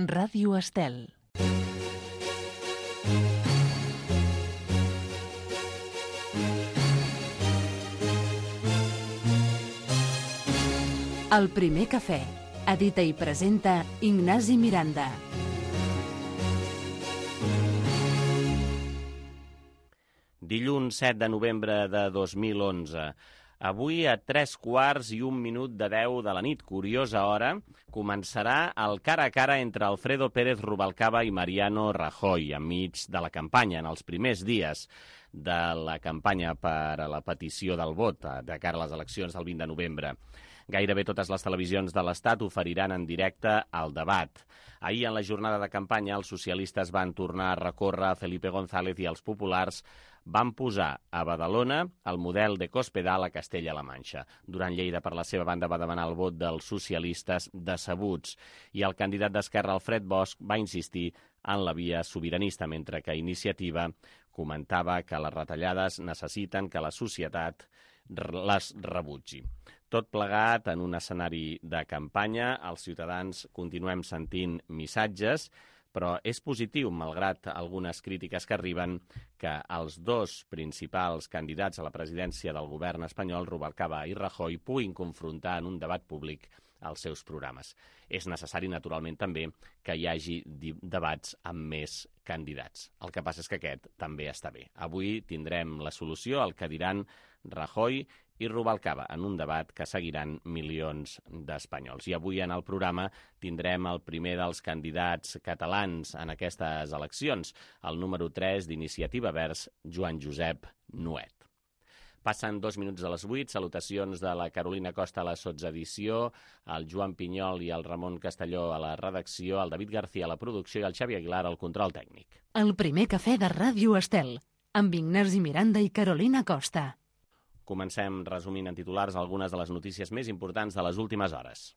Ràdio Estel. El primer cafè. Edita i presenta Ignasi Miranda. Dilluns 7 de novembre de 2011. Avui a 3:15 de 10 de la nit, curiosa hora, començarà el cara a cara entre Alfredo Pérez Rubalcaba i Mariano Rajoy enmig de la campanya, en els primers dies de la campanya per a la petició del vot de cara a les eleccions del 20 de novembre. Gairebé totes les televisions de l'Estat oferiran en directe el debat. Ahir, en la jornada de campanya, els socialistes van tornar a recórrer a Felipe González i els populars van posar a Badalona el model de Cospedal a Castella-La Manxa. Durant Lleida, per la seva banda, va demanar el vot dels socialistes decebuts i el candidat d'Esquerra, Alfred Bosch, va insistir en la via sobiranista, mentre que Iniciativa comentava que les retallades necessiten que la societat les rebutgi. Tot plegat en un escenari de campanya, els ciutadans continuem sentint missatges, però és positiu, malgrat algunes crítiques que arriben, que els dos principals candidats a la presidència del govern espanyol, Rubalcaba i Rajoy, puguin confrontar en un debat públic els seus programes. És necessari, naturalment, també que hi hagi debats amb més candidats. El que passa és que aquest també està bé. Avui tindrem la solució al que diran Rajoy i Rubalcaba en un debat que seguiran milions d'espanyols. I avui en el programa tindrem el primer dels candidats catalans en aquestes eleccions, el número 3 d'Iniciativa Verds, Joan Josep Nuet. Passen 2 minuts de les 8, salutacions de la Carolina Costa a la sotsedició, el Joan Pinyol i el Ramon Castelló a la redacció, el David García a la producció i el Xavi Aguilar al control tècnic. El primer cafè de Ràdio Estel, amb Ignasi Miranda i Carolina Costa. Comencem resumint en titulars algunes de les notícies més importants de les últimes hores.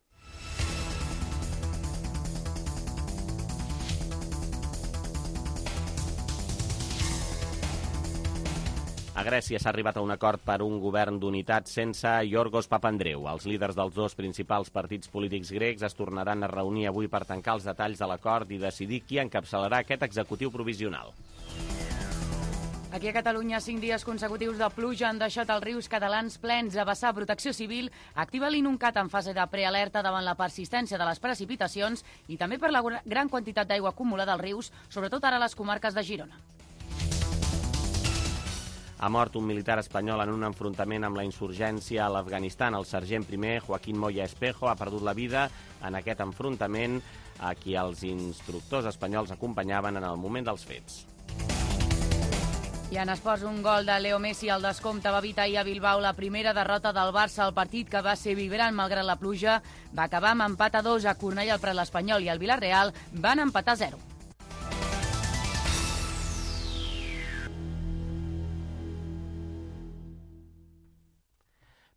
A Grècia s'ha arribat a un acord per un govern d'unitat sense Yorgos Papandreou. Els líders dels dos principals partits polítics grecs es tornaran a reunir avui per tancar els detalls de l'acord i decidir qui encapçalarà aquest executiu provisional. Aquí a Catalunya, 5 dies consecutius de pluja han deixat els rius catalans plens. A vessar, Protecció Civil activa l'Inuncat en fase de prealerta davant la persistència de les precipitacions i també per la gran quantitat d'aigua acumulada als rius, sobretot ara a les comarques de Girona. Ha mort un militar espanyol en un enfrontament amb la insurgència a l'Afganistan. El sergent primer, Joaquín Moya Espejo, ha perdut la vida en aquest enfrontament a qui els instructors espanyols acompanyaven en el moment dels fets. I en esports, un gol de Leo Messi al descompte va evitar ahir a Bilbao la primera derrota del Barça. El partit, que va ser vibrant malgrat la pluja, va acabar amb empat a 2. A Cornellà, el Prat, l'Espanyol i el Villarreal van empatar a 0.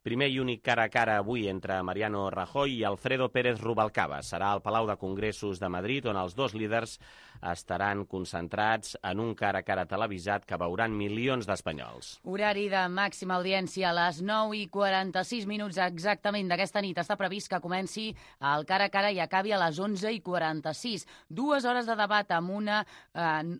Primer i únic cara a cara avui entre Mariano Rajoy i Alfredo Pérez Rubalcaba. Serà al Palau de Congressos de Madrid, on els dos líders estaran concentrats en un cara a cara televisat que veuran milions d'espanyols. Horari de màxima audiència a les 9:46 exactament d'aquesta nit. Està previst que comenci el cara a cara i acabi a les 11:46. 2 hores de debat amb una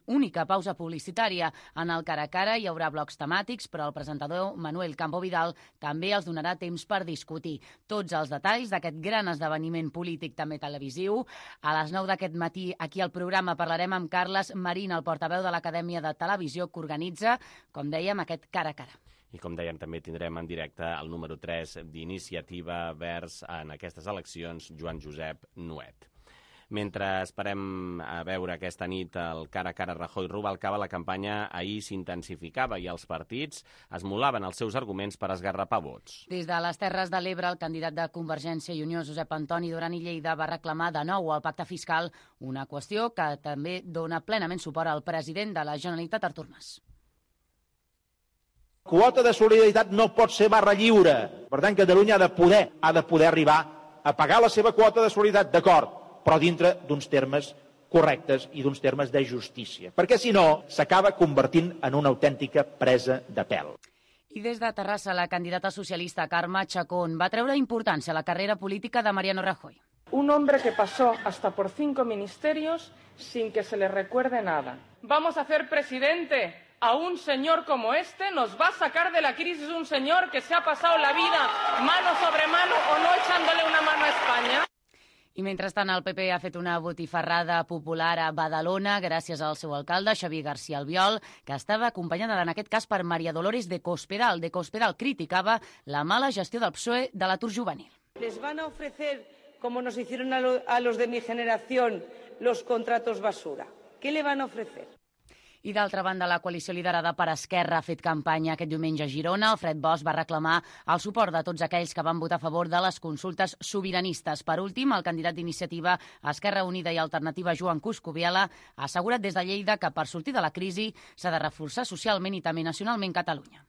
única pausa publicitària. En el cara a cara hi haurà blocs temàtics, però el presentador Manuel Campo Vidal també els donarà temps per discutir tots els detalls d'aquest gran esdeveniment polític, també televisiu. A les 9 d'aquest matí, aquí al programa, parlarem amb Carles Marín, el portaveu de l'Acadèmia de Televisió, que organitza, com dèiem, aquest cara a cara. I com dèiem, també tindrem en directe el número 3 d'Iniciativa Verds en aquestes eleccions, Joan Josep Nuet. Mentre esperem a veure aquesta nit el cara a cara Rajoy-Rubalcaba, la campanya ahir s'intensificava i els partits esmolaven els seus arguments per esgarrapar vots. Des de les Terres de l'Ebre, el candidat de Convergència i Unió, Josep Antoni Duran i Lleida, va reclamar de nou el pacte fiscal, una qüestió que també dona plenament suport al president de la Generalitat, Artur Mas. Quota de solidaritat no pot ser barra lliure. Per tant, Catalunya ha de poder arribar a pagar la seva quota de solidaritat, d'acord, però dintre d'uns termes correctes i d'uns termes de justícia. Perquè, si no, s'acaba convertint en una autèntica presa de pèl. I des de Terrassa, la candidata socialista Carme Chacón va treure importància a la carrera política de Mariano Rajoy. Un hombre que pasó hasta por 5 ministerios sin que se le recuerde nada. Vamos a hacer presidente a un señor como este, nos va a sacar de la crisis un señor que se ha pasado la vida mano sobre mano o no echándole una mano a España. I mentrestant el PP ha fet una botifarrada popular a Badalona gràcies al seu alcalde, Xavier García Albiol, que estava acompanyada en aquest cas per María Dolores de Cospedal. De Cospedal criticava la mala gestió del PSOE de l'atur juvenil. Les van a ofrecer, como nos hicieron a los de mi generación, los contratos basura. ¿Qué le van a ofrecer? I d'altra banda, la coalició liderada per Esquerra ha fet campanya aquest diumenge a Girona. Alfred Bosch va reclamar el suport de tots aquells que van votar a favor de les consultes sobiranistes. Per últim, el candidat d'iniciativa Esquerra Unida i Alternativa, Joan Coscubiela, ha assegurat des de Lleida que per sortir de la crisi s'ha de reforçar socialment i també nacionalment Catalunya.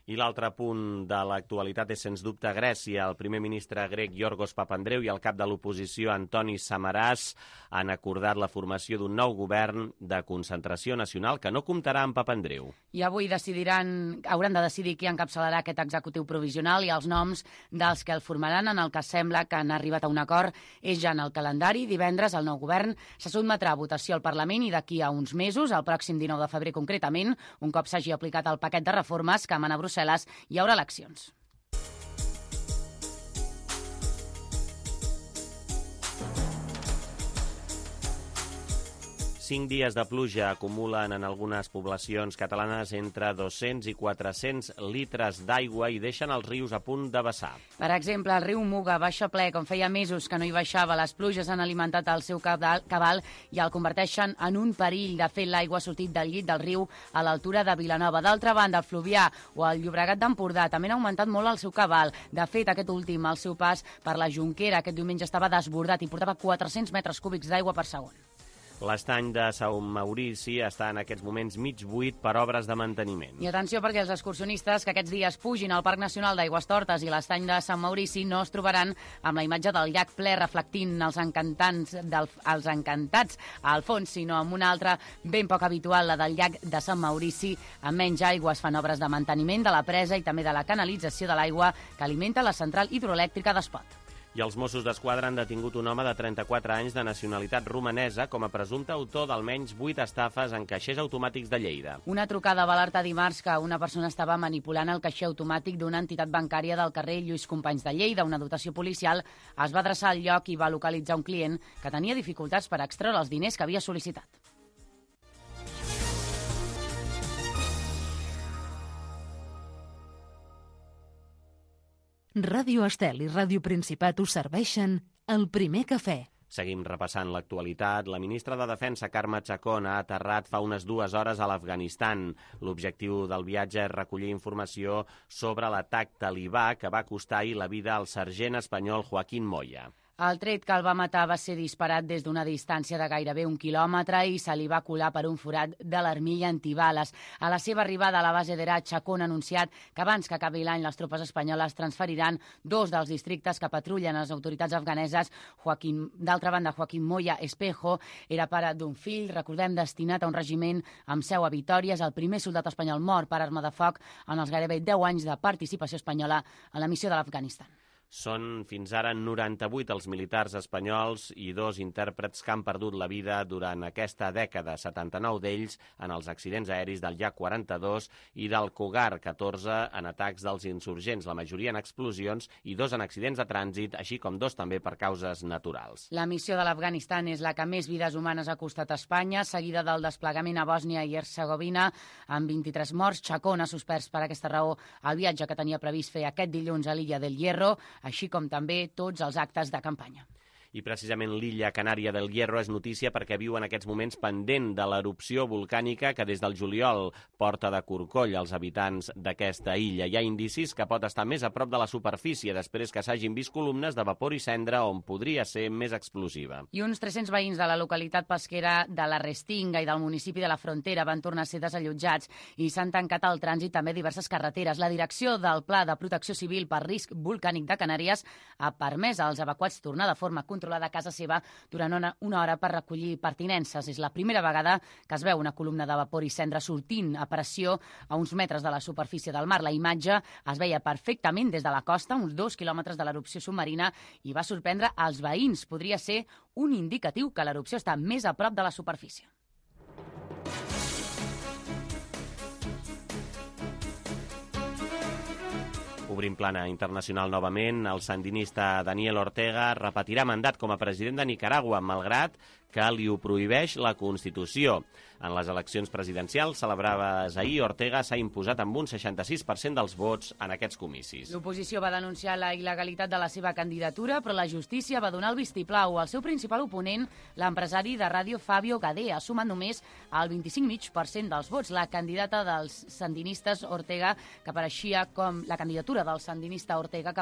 I l'altre punt de l'actualitat és, sens dubte, Grècia. El primer ministre grec, Yorgos Papandreou, i el cap de l'oposició, Antonis Samaras, han acordat la formació d'un nou govern de concentració nacional que no comptarà amb Papandreou. I avui hauran de decidir qui encapçalarà aquest executiu provisional i els noms dels que el formaran, en el que sembla que han arribat a un acord. És ja en el calendari. Divendres el nou govern se sotmetrà a votació al Parlament i d'aquí a uns mesos, el pròxim 19 de febrer concretament, un cop s'hagi aplicat el paquet de reformes que emana a Brussel·les, hi haurà eleccions. Cinc dies de pluja acumulen en algunes poblacions catalanes entre 200 i 400 litres d'aigua i deixen els rius a punt de vessar. Per exemple, el riu Muga baixa ple, com feia mesos que no hi baixava. Les pluges han alimentat el seu cabal i el converteixen en un perill. De fet, l'aigua ha sortit del llit del riu a l'altura de Vilanova. D'altra banda, el Fluvià o el Llobregat d'Empordà també han augmentat molt el seu cabal. De fet, aquest últim, el seu pas per la Jonquera, aquest diumenge estava desbordat i portava 400 metres cúbics d'aigua per segon. L'estany de Sant Maurici està en aquests moments mig buit per obres de manteniment. I atenció, perquè els excursionistes que aquests dies pugin al Parc Nacional d'Aigüestortes i l'estany de Sant Maurici no es trobaran amb la imatge del llac ple reflectint els encantats al fons, sinó amb una altra ben poc habitual, la del llac de Sant Maurici. Amb menys aigua es fan obres de manteniment de la presa i també de la canalització de l'aigua que alimenta la central hidroelèctrica d'Espot. I els Mossos d'Esquadra han detingut un home de 34 anys de nacionalitat romanesa com a presumpte autor d'almenys 8 estafes en caixers automàtics de Lleida. Una trucada va alertar dimarts que una persona estava manipulant el caixer automàtic d'una entitat bancària del carrer Lluís Companys de Lleida. Una dotació policial es va adreçar al lloc i va localitzar un client que tenia dificultats per extreure els diners que havia sol·licitat. Ràdio Estel i Ràdio Principat us serveixen el primer cafè. Seguim repassant l'actualitat. La ministra de Defensa, Carme Chacón, ha aterrat fa unes 2 hores a l'Afganistan. L'objectiu del viatge és recollir informació sobre l'atac talibà que va costar ahir la vida al sergent espanyol Joaquín Moya. El tret que el va matar va ser disparat des d'una distància de gairebé 1 quilòmetre i se li va colar per un forat de l'armilla antibales. A la seva arribada a la base d'Herat, Chacón ha anunciat que abans que acabi l'any les tropes espanyoles transferiran 2 dels districtes que patrullen les autoritats afganeses. D'altra banda, Joaquín Moya Espejo era pare d'un fill, recordem, destinat a un regiment amb seu a Vitòria. És el primer soldat espanyol mort per arma de foc en els gairebé 10 anys de participació espanyola en la missió de l'Afganistan. Són fins ara 98 els militars espanyols i 2 intèrprets que han perdut la vida durant aquesta dècada, 79 d'ells en els accidents aeris del Yak 42 i del Cougar 14 en atacs dels insurgents, la majoria en explosions i 2 en accidents de trànsit, així com 2 també per causes naturals. La missió de l'Afganistan és la que més vides humanes ha costat a Espanya, seguida del desplegament a Bòsnia i Hercegovina, amb 23 morts. Chacón ha suspès per aquesta raó el viatge que tenia previst fer aquest dilluns a l'illa del Hierro, així com també tots els actes de campanya. I precisament l'illa Canària del Hierro és notícia perquè viu en aquests moments pendent de l'erupció volcànica que des del juliol porta de corcoll als habitants d'aquesta illa. Hi ha indicis que pot estar més a prop de la superfície després que s'hagin vist columnes de vapor i cendra on podria ser més explosiva. I uns 300 veïns de la localitat pesquera de la Restinga i del municipi de la Frontera van tornar a ser desallotjats i s'han tancat al trànsit també diverses carreteres. La direcció del Pla de Protecció Civil per Risc Volcànic de Canàries ha permès als evacuats tornar de forma controlada controlada a casa seva durant una hora per recollir pertinences. És la primera vegada que es veu una columna de vapor i cendra sortint a pressió a uns metres de la superfície del mar. La imatge es veia perfectament des de la costa, uns 2 quilòmetres de l'erupció submarina, i va sorprendre als veïns. Podria ser un indicatiu que l'erupció està més a prop de la superfície. Obrim plana internacional novament. El sandinista Daniel Ortega repetirà mandat com a president de Nicaragua, malgrat que li ho prohibeix la Constitució. En les eleccions presidencials celebrades ahir, Ortega s'ha imposat amb un 66% dels vots en aquests comicis. L'oposició va denunciar la il·legalitat de la seva candidatura, però la justícia va donar el vistiplau. El seu principal oponent, l'empresari de ràdio Fabio Gade, ha sumat només el 25,5% dels vots. La candidatura del sandinista Ortega, que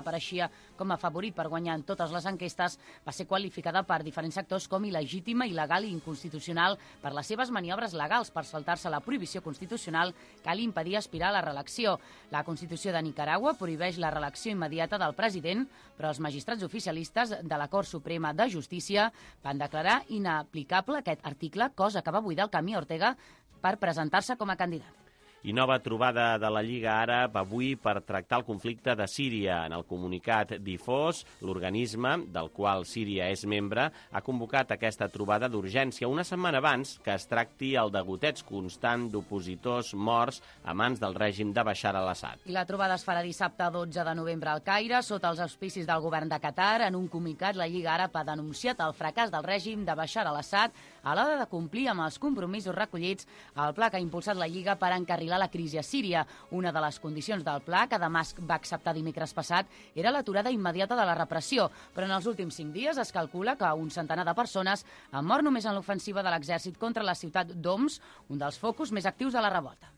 apareixia com a favorit per guanyar en totes les enquestes, va ser qualificada per diferents sectors com il·legítima, il·legal i inconstitucional per les seves maniobres legals per saltar-se la prohibició constitucional que li impedia aspirar a la reelecció. La Constitució de Nicaragua prohibeix la reelecció immediata del president, però els magistrats oficialistes de la Cort Suprema de Justícia van declarar inaplicable aquest article, cosa que va buidar el camí a Ortega per presentar-se com a candidat. I nova trobada de la Lliga Àrab avui per tractar el conflicte de Síria. En el comunicat difós, l'organisme, del qual Síria és membre, ha convocat aquesta trobada d'urgència una setmana abans que es tracti el degoteig constant d'opositors morts a mans del règim de Bashar al-Assad. I la trobada es farà dissabte 12 de novembre al Caire, sota els auspicis del govern de Qatar. En un comunicat, la Lliga Àrab ha denunciat el fracàs del règim de Bashar al-Assad a l'hora de complir amb els compromisos recollits al pla que ha impulsat la Lliga per encarrilar la crisi a Síria. Una de les condicions del pla, que Damasc va acceptar dimecres passat, era l'aturada immediata de la repressió, però en els últims 5 dies es calcula que un centenar de persones han mort només en l'ofensiva de l'exèrcit contra la ciutat d'Homs, un dels focus més actius de la revolta.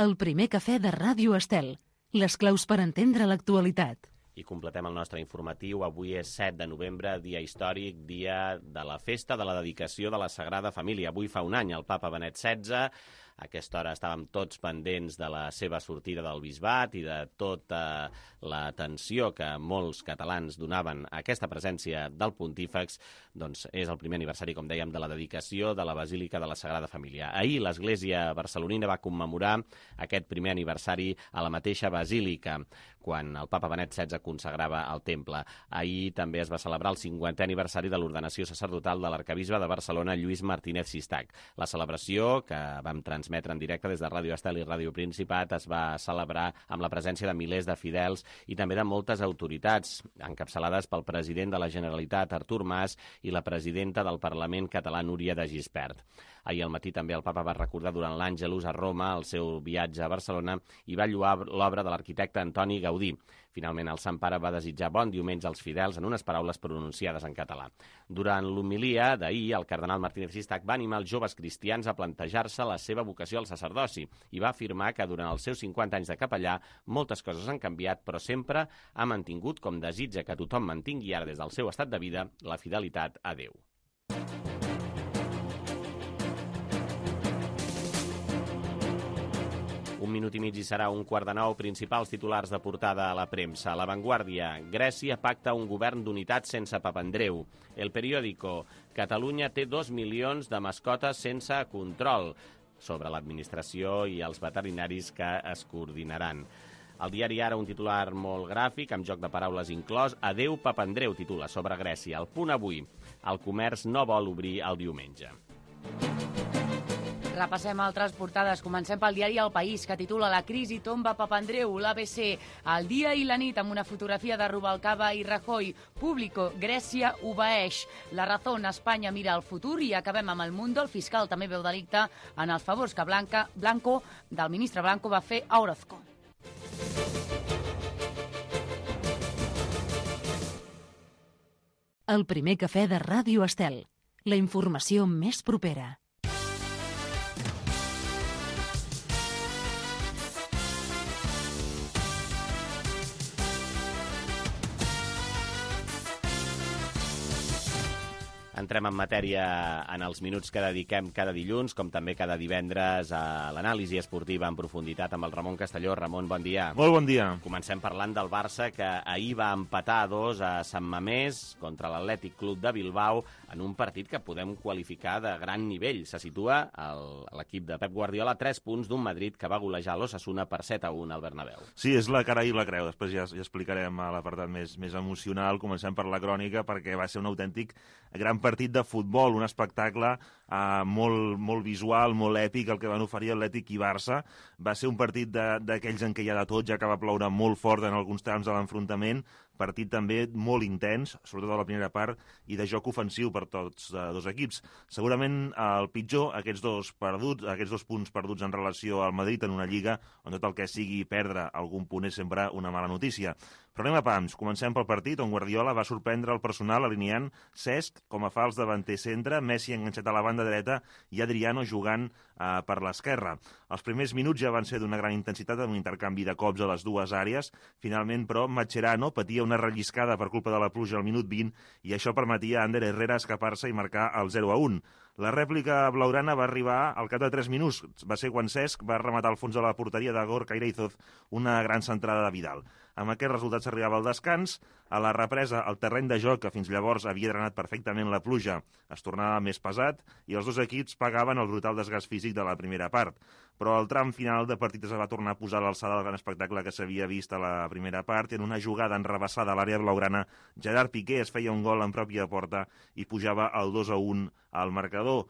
El primer cafè de Ràdio Estel. Les claus per entendre l'actualitat. I completem el nostre informatiu. Avui és 7 de novembre, dia històric, dia de la festa de la dedicació de la Sagrada Família. Avui fa un any el papa Benet XVI. A aquesta hora estàvem tots pendents de la seva sortida del bisbat i de tota l'atenció que molts catalans donaven a aquesta presència del pontífex. Doncs és el primer aniversari, com dèiem, de la dedicació de la Basílica de la Sagrada Família. Ahir l'Església barcelonina va commemorar aquest primer aniversari a la mateixa Basílica, quan el papa Benet XVI consagrava el temple. Ahir també es va celebrar el 50è aniversari de l'ordenació sacerdotal de l'arquebisbe de Barcelona, Lluís Martínez Sistac. La celebració, que vam transmetre en directe des de Ràdio Estel i Ràdio Principat, es va celebrar amb la presència de milers de fidels i també de moltes autoritats, encapçalades pel president de la Generalitat, Artur Mas, i la presidenta del Parlament català, Núria de Gispert. Ahir al matí també el papa va recordar durant l'Àngelus a Roma el seu viatge a Barcelona i va lloar l'obra de l'arquitecte Antoni Gaudí. Finalment, el Sant Pare va desitjar bon diumenge als fidels en unes paraules pronunciades en català. Durant l'homilia d'ahir, el cardenal Martínez Sistac va animar els joves cristians a plantejar-se la seva vocació al sacerdoci i va afirmar que durant els seus 50 anys de capellà moltes coses han canviat, però sempre ha mantingut, com desitja que tothom mantingui ara des del seu estat de vida, la fidelitat a Déu. Un minut i mig i serà 8:45, principals titulars de portada a la premsa. La Vanguardia, Grècia pacta un govern d'unitat sense Papandreu. El Periódico, Catalunya té 2 milions de mascotes sense control. Sobre l'administració i els veterinaris que es coordinaran. El diari Ara, un titular molt gràfic, amb joc de paraules inclòs. Adeu Papandreu, titula sobre Grècia. El Punt Avui, el comerç no vol obrir el diumenge. Repassem altres portades. Comencem pel diari El País, que titula La crisi tomba Papandreu. L'ABC, El dia i la nit, amb una fotografia de Rubalcaba i Rajoy. Público, Grècia obeeix. La Razón, Espanya mira al futur. I acabem amb El Mundo. El fiscal també veu delicte en els favors que del ministre Blanco va fer a Orozco. El primer cafè de Ràdio Estel. La informació més propera. Entrem en matèria en els minuts que dediquem cada dilluns, com també cada divendres a l'anàlisi esportiva en profunditat amb el Ramon Castelló. Ramon, bon dia. Molt bon dia. Comencem parlant del Barça, que ahir va empatar a 2 a Sant Mamés contra l'Atlètic Club de Bilbao en un partit que podem qualificar de gran nivell. Se situa l'equip de Pep Guardiola a 3 punts d'un Madrid que va golejar l'Osasuna per 7-1 al Bernabéu. Sí, és la cara i la creu. Després ja explicarem a l'apartat més emocional. Comencem per la crònica, perquè va ser un autèntic gran partit de futbol, un espectacle molt visual, molt èpic, el que van oferir Atlètic i Barça. Va ser un partit d'aquells en què hi ha de tot, ja que va ploure molt fort en alguns trams de l'enfrontament, partit també molt intens, sobretot a la primera part, i de joc ofensiu per tots dos equips. Segurament el pitjor, aquests dos punts perduts en relació al Madrid en una lliga on tot el que sigui perdre algun punt és sempre una mala notícia. Però anem a pams. Comencem pel partit on Guardiola va sorprendre el personal alineant Cesc com a fals davanter centre, Messi enganxat a la banda dreta i Adriano jugant per l'esquerra. Els primers minuts ja van ser d'una gran intensitat amb un intercanvi de cops a les dues àrees. Finalment, però, Mascherano patia una relliscada per culpa de la pluja al minut 20 i això permetia a Ander Herrera escapar-se i marcar el 0-1. La rèplica blaugrana va arribar al cap de 3 minuts. Va ser quan Cesc va rematar al fons de la porteria de Gorka Ireizoz una gran centrada de Vidal. Amb aquest resultat s'arribava al descans. A la represa, el terreny de joc, que fins llavors havia drenat perfectament la pluja, es tornava més pesat i els dos equips pagaven el brutal desgast físic de la primera part. Però el tram final de partit es va tornar a posar a l'alçada del gran espectacle que s'havia vist a la primera part i en una jugada enrebaçada a l'àrea blaugrana, Gerard Piqué es feia un gol en pròpia porta i pujava el 2-1 al marcador.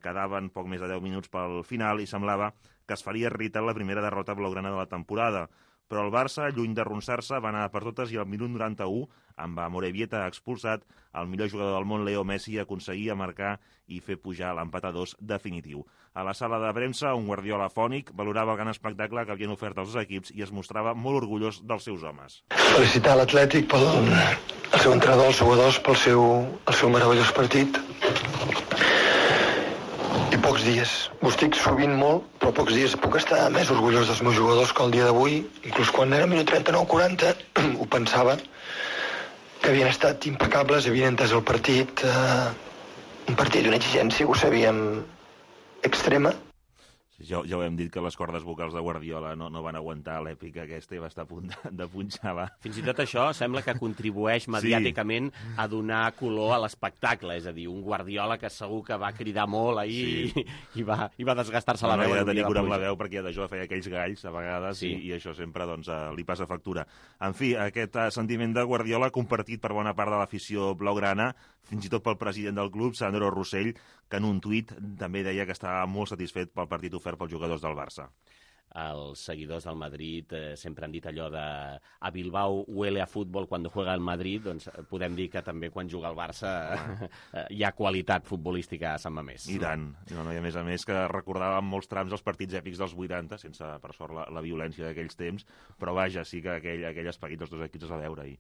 Quedaven poc més de 10 minuts pel final i semblava que es faria realitat la primera derrota blaugrana de la temporada. Però el Barça, lluny d'arronsar-se, va anar per totes i al minut 91, amb Amorebieta expulsat, el millor jugador del món, Leo Messi, aconseguia marcar i fer pujar l'empat a 2 definitiu. A la sala de premsa, un Guardiola afònic valorava el gran espectacle que havien ofert els dos equips i es mostrava molt orgullós dels seus homes. Felicitar l'Atlètic pel seu entrenador, els jugadors, pel seu meravellós partit. I pocs dies, ho estic sovint molt, però pocs dies puc estar més orgullós dels meus jugadors que el dia d'avui. Inclús quan era minut 39-40 ho pensava, que havien estat impecables, havien entès el partit, un partit d'una exigència que ho sabíem extrema. Ja ho hem dit que les cordes vocals de Guardiola no van aguantar l'èpica aquesta i va estar a punt de punxar-la. Fins i tot això sembla que contribueix mediàticament a donar color a l'espectacle, és a dir, un Guardiola que segur que va cridar molt ahir i va desgastar-se la veu. No, ja tenia cura amb la veu perquè d'això feia aquells galls a vegades i això sempre li passa factura. En fi, aquest sentiment de Guardiola compartit per bona part de l'afició blaugrana, fins i tot pel president del club, Sandro Rossell, que en un tuit també deia que estava molt satisfet pel partit ofert pels jugadors del Barça. Els seguidors del Madrid sempre han dit allò de a Bilbao huele a futbol quan juega el Madrid, doncs podem dir que també quan juga el Barça hi ha qualitat futbolística a Sant Mamés. I tant. I a més que recordàvem molts trams els partits èpics dels 80, sense, per sort, la violència d'aquells temps, però vaja, sí que aquell esperit dels dos equips es va veure ahir.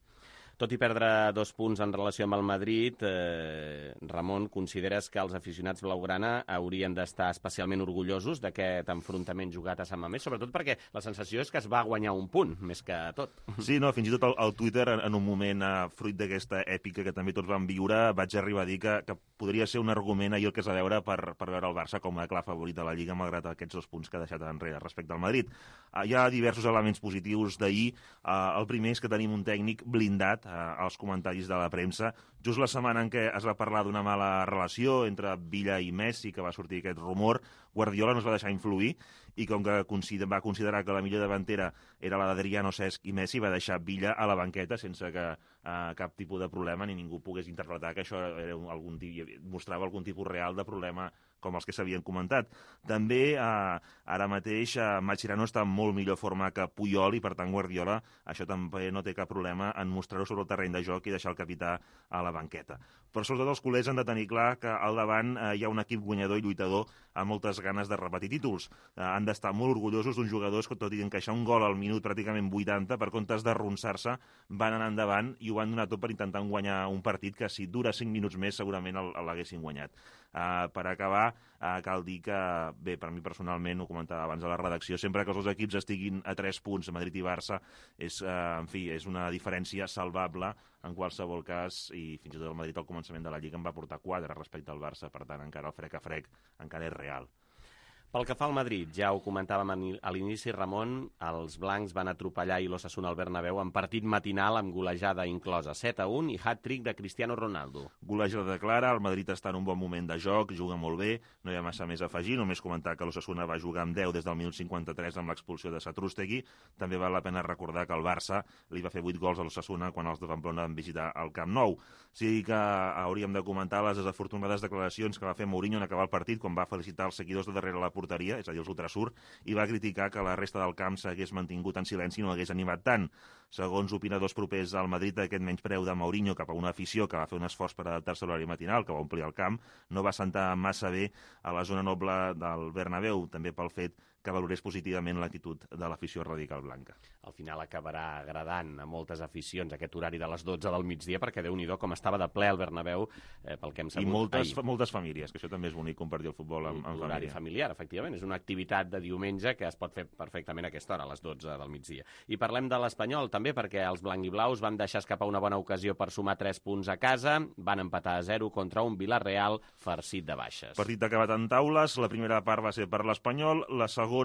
Tot i perdre 2 punts en relació amb el Madrid, Ramon, consideres que els aficionats blaugrana haurien d'estar especialment orgullosos d'aquest enfrontament jugat a Sant Mamés, sobretot perquè la sensació és que es va guanyar un punt, més que tot. Sí, no, fins i tot al Twitter, en un moment fruit d'aquesta èpica que també tots vam viure, vaig arribar a dir que podria ser un argument ahir el que s'ha de veure per veure el Barça com a clar favorit de la Lliga, malgrat aquests 2 punts que ha deixat enrere respecte al Madrid. Hi ha diversos elements positius d'ahir. El primer és que tenim un tècnic blindat als comentaris de la premsa. Just la setmana en què es va parlar d'una mala relació entre Villa i Messi, que va sortir aquest rumor, Guardiola no es va deixar influir i com que va considerar que la millor davantera era la d'Adriano, Cesc i Messi, va deixar Villa a la banqueta sense que cap tipus de problema ni ningú pogués interpretar que això era mostrava algun tipus real de problema com els que s'havien comentat. També, ara mateix, Mascherano està en molt millor forma que Puyol i, per tant, Guardiola això també no té cap problema en mostrar-ho sobre el terreny de joc i deixar el capità a la banqueta. Però sobretot els culers han de tenir clar que al davant hi ha un equip guanyador i lluitador amb moltes ganes de repetir títols. Han d'estar molt orgullosos d'uns jugadors que, tot i encaixar un gol al minut pràcticament 80, per comptes d'arronsar-se, van anar endavant i ho van donar tot per intentar guanyar un partit que, si dura 5 minuts més, segurament l'haguessin guanyat. Per acabar, cal dir que, bé, per mi personalment, ho comentava abans a la redacció, sempre que els dos equips estiguin a 3 punts, Madrid i Barça, és una diferència salvable en qualsevol cas, i fins i tot el Madrid al començament de la Lliga en va portar 4 respecte al Barça, per tant, encara el frec a frec encara és real. Pel que fa al Madrid, ja ho comentàvem a l'inici, Ramon, els blancs van atropellar i l'Osasuna al Bernabéu en partit matinal amb golejada inclosa, 7-1 i hat-trick de Cristiano Ronaldo. Golejada clara, el Madrid està en un bon moment de joc, juga molt bé, no hi ha massa més a afegir, només comentar que l'Osasuna va jugar amb 10 des del minut 53 amb l'expulsió de Satrústegui. També val la pena recordar que el Barça li va fer 8 gols a l'Osasuna quan els de Pamplona van visitar el Camp Nou. Sí que hauríem de comentar les desafortunades declaracions que va fer Mourinho en acabar el partit quan va felicitar els seguidors de darrere la porteria, és a dir, els ultrasur, i va criticar que la resta del camp s'hagués mantingut en silenci i no hagués animat tant. Segons opinadors propers al Madrid, aquest menyspreu de Mourinho cap a una afició que va fer un esforç per adaptar-se a l'horari matinal, que va omplir el camp, no va sentar massa bé a la zona noble del Bernabéu, també pel fet que valorés positivament l'actitud de l'afició radical blanca. Al final acabarà agradant a moltes aficions aquest horari de les 12 del migdia, perquè Déu-n'hi-do com estava de ple al Bernabéu, pel que hem sabut ahir. I moltes famílies, que això també és bonic, compartir el futbol amb família. L'horari familiar, efectivament, és una activitat de diumenge que es pot fer perfectament a aquesta hora, a les 12 del migdia. I parlem de l'Espanyol també, perquè els blanc i blaus van deixar escapar una bona ocasió per sumar 3 punts a casa, van empatar a 0 contra un Villarreal farcit de baixes. Partit acabat en taules, la primera part va ser per l'Espanyol, la segona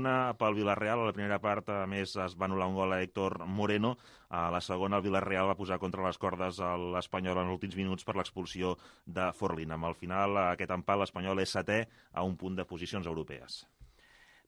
pel Villarreal. A la primera part, a més, es va anul·lar un gol a Héctor Moreno. A la segona, el Villarreal va posar contra les cordes a l'Espanyol en els últims minuts per l'expulsió de Forlín. Amb el final, aquest empat, l'Espanyol és 7è a un punt de posicions europees.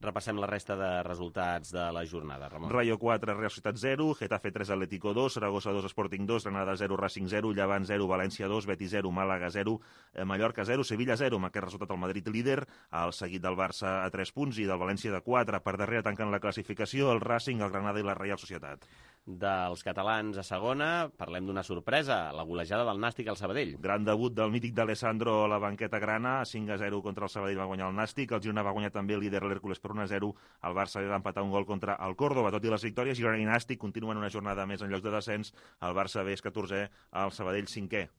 Repassem la resta de resultats de la jornada, Ramon. Rayo 4, Real Societat 0, Getafe 3, Atlético 2, Saragossa 2, Sporting 2, Granada 0, Racing 0, Llevant 0, València 2, Betis 0, Màlaga 0, Mallorca 0, Sevilla 0, amb aquest resultat el Madrid líder, el seguit del Barça a 3 punts i del València de 4. Per darrere tanquen la classificació el Racing, el Granada i la Real Societat. Dels catalans a segona, parlem d'una sorpresa, la golejada del Nàstic al Sabadell. Gran debut del mític d'Alessandro a la banqueta grana, 5-0 contra el Sabadell va guanyar el Nàstic, el Girona va guanyar també el líder l'Hèrcules per 1-0, el Barça va empatar un gol contra el Córdoba. Tot i les victòries, Girona i Nàstic continuen una jornada més en llocs de descens, el Barça B és 14è, el Sabadell 5è.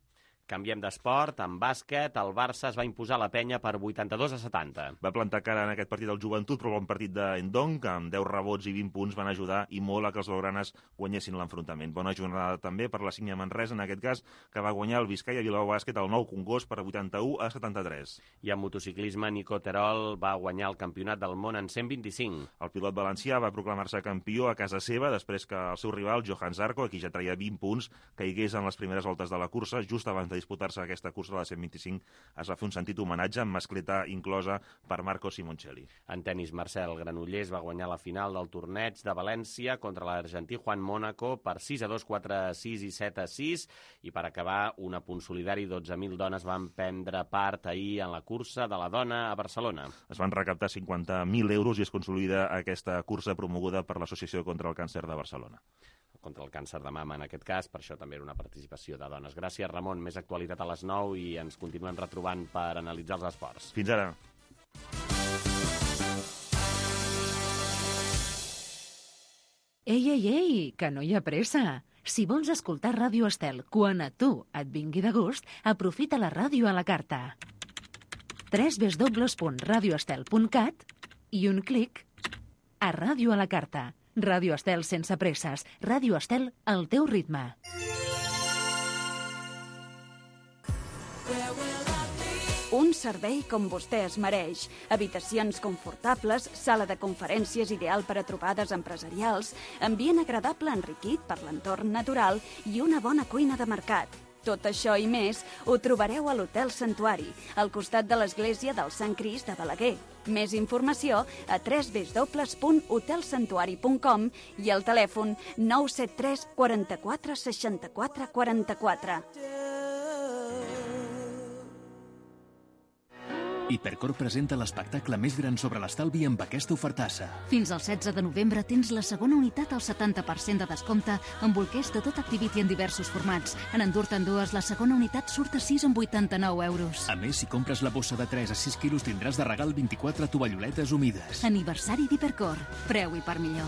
Canviem d'esport, en bàsquet, el Barça es va imposar la penya per 82-70. Va plantar cara en aquest partit del Joventut, però bon partit d'Endong, que amb 10 rebots i 20 punts van ajudar i molt a que els blaugranes guanyessin l'enfrontament. Bona jornada també per la Sígnia Manresa, en aquest cas, que va guanyar el Vizcaya Bilbao Bàsquet al Nou Congost per 81-73. I en motociclisme, Nico Terol va guanyar el campionat del món en 125. El pilot valencià va proclamar-se campió a casa seva després que el seu rival, Johan Zarco, a qui ja traia 20 punts, caigués en les primeres voltes de la cursa, just abans de disputar-se aquesta cursa de la 125, es va fer un sentit homenatge amb mascleta inclosa per Marco Simoncelli. En tenis, Marcel Granollers va guanyar la final del torneig de València contra l'argentí Juan Mónaco per 6-2, 4-6 i 7-6, i per acabar, un apunt solidari, 12.000 dones van prendre part ahir en la cursa de la dona a Barcelona. Es van recaptar 50.000 euros i es consolida aquesta cursa promoguda per l'Associació contra el Càncer de Barcelona. Contra el càncer de mama, en aquest cas, per això també era una participació de dones. Gràcies, Ramon. Més actualitat a les 9 i ens continuem retrobant per analitzar els esports. Fins ara. Ei, que no hi ha pressa. Si vols escoltar Ràdio Estel quan a tu et vingui de gust, aprofita la ràdio a la carta. www.radioestel.cat i un clic a Ràdio a la carta. Ràdio Estel sense presses. Ràdio Estel al teu ritme. Un servei com vostè es mereix. Habitacions confortables, sala de conferències ideal per a trobades empresarials, ambient agradable enriquit per l'entorn natural i una bona cuina de mercat. Tot això i més ho trobareu a l'Hotel Santuari, al costat de l'església del Sant Crist de Balaguer. Més informació a www.hotelsantuari.com i al telèfon 973 44 64 44. Hipercor presenta l'espectacle més gran sobre l'estalvi amb aquesta ofertassa. Fins al 16 de novembre tens la segona unitat al 70% de descompte amb bolquers de tot Activity en diversos formats. En endur-te'n dues, la segona unitat surt a 6 amb 89 euros. A més, si compres la bossa de 3 a 6 quilos tindràs de regal 24 tovalloletes humides. Aniversari d'Hipercor. Preu i per millor.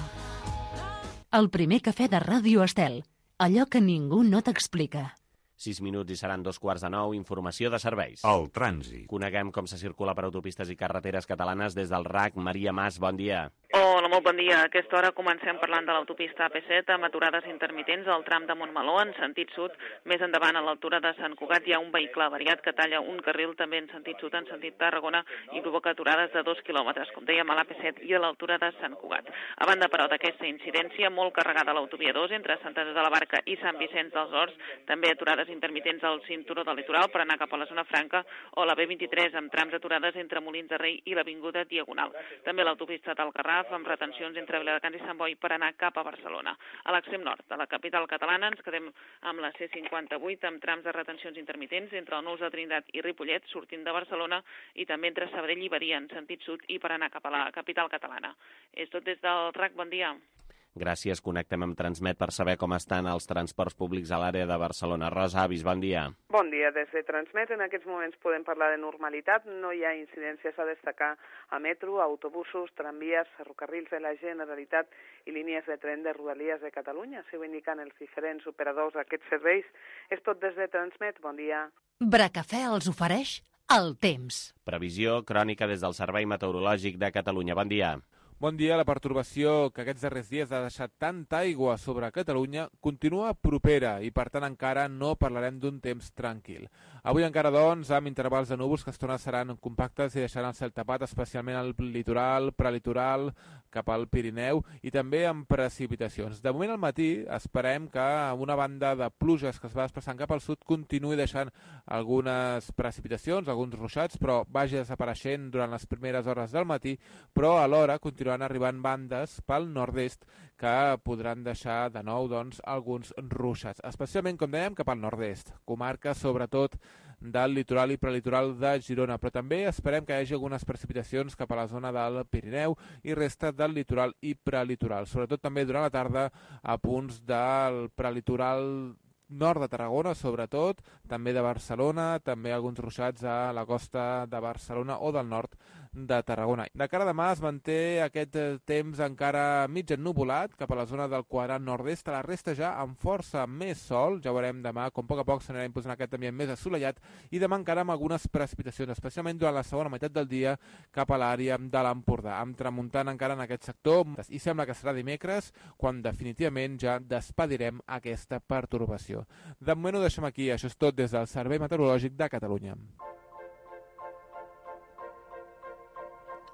El primer cafè de Ràdio Estel. Allò que ningú no t'explica. 6 minuts i seran 2:15. Informació de serveis. El trànsit. Coneguem com se circula per autopistes i carreteres catalanes des del RAC. Maria Mas, bon dia. Hola, molt bon dia. A aquesta hora comencem parlant de l'autopista AP7 amb aturades intermitents al tram de Montmeló en sentit sud. Més endavant, a l'altura de Sant Cugat, hi ha un vehicle avariat que talla un carril també en sentit sud, en sentit Tarragona, i provoca aturades de 2 quilòmetres, com dèiem, a l'AP7 i a l'altura de Sant Cugat. A banda, però, d'aquesta incidència, molt carregada a l'autovia 2 entre Sant Andreu de la Barca i Sant Vicenç dels Horts, també aturades intermitents al cinturó del litoral per anar cap a la zona franca, o la B23 amb trams aturades entre Molins de Rei i l'Avinguda Diagonal. També l'autopista del Garraf amb retencions entre Viladecans i Sant Boi per anar cap a Barcelona. A l'extrem nord de la capital catalana ens quedem amb la C58 amb trams de retencions intermitents entre el Nous de Trinitat i Ripollet sortint de Barcelona i també entre Sabadell i Badia en sentit sud i per anar cap a la capital catalana. És tot des del RAC, bon dia. Gràcies, connectem amb Transmet per saber com estan els transports públics a l'àrea de Barcelona. Rosa Avis, bon dia. Bon dia, des de Transmet. En aquests moments podem parlar de normalitat. No hi ha incidències a destacar a metro, autobusos, tramvies, ferrocarrils de la Generalitat i línies de tren de Rodalies de Catalunya. S'ho indiquen els diferents operadors d'aquests serveis. És tot des de Transmet. Bon dia. Bracafè els ofereix el temps. Previsió crònica des del Servei Meteorològic de Catalunya. Bon dia. Bon dia. La pertorbació que aquests darrers dies ha deixat tanta aigua sobre Catalunya continua propera i, per tant, encara no parlarem d'un temps tranquil. Avui encara, doncs, amb intervals de núvols que estona seran compactes i deixaran el cel tapat, especialment al litoral, prelitoral, cap al Pirineu i també amb precipitacions. De moment al matí esperem que una banda de pluges que es va desplaçant cap al sud continuï deixant algunes precipitacions, alguns ruixats, però vagi desapareixent durant les primeres hores del matí, però alhora continuaran arribant bandes pel nord-est que podran deixar de nou doncs, alguns ruixats, especialment, com dèiem, cap al nord-est, comarques sobretot del litoral i prelitoral de Girona, però també esperem que hi hagi algunes precipitacions cap a la zona del Pirineu i resta del litoral i prelitoral, sobretot també durant la tarda a punts del prelitoral nord de Tarragona, sobretot, també de Barcelona, també alguns ruixats a la costa de Barcelona o del nord de Tarragona. De cara a demà es manté aquest temps encara mig ennuvolat cap a la zona del quadrant nord-est, a la resta ja amb força més sol, ja veurem demà com a poc a poc s'anirà imposant aquest ambient més assolellat i demà encara amb algunes precipitacions, especialment durant la segona meitat del dia cap a l'àrea de l'Empordà, amb tramuntant encara en aquest sector i sembla que serà dimecres quan definitivament ja despedirem aquesta pertorbació. De moment ho deixem aquí, això és tot des del Servei Meteorològic de Catalunya.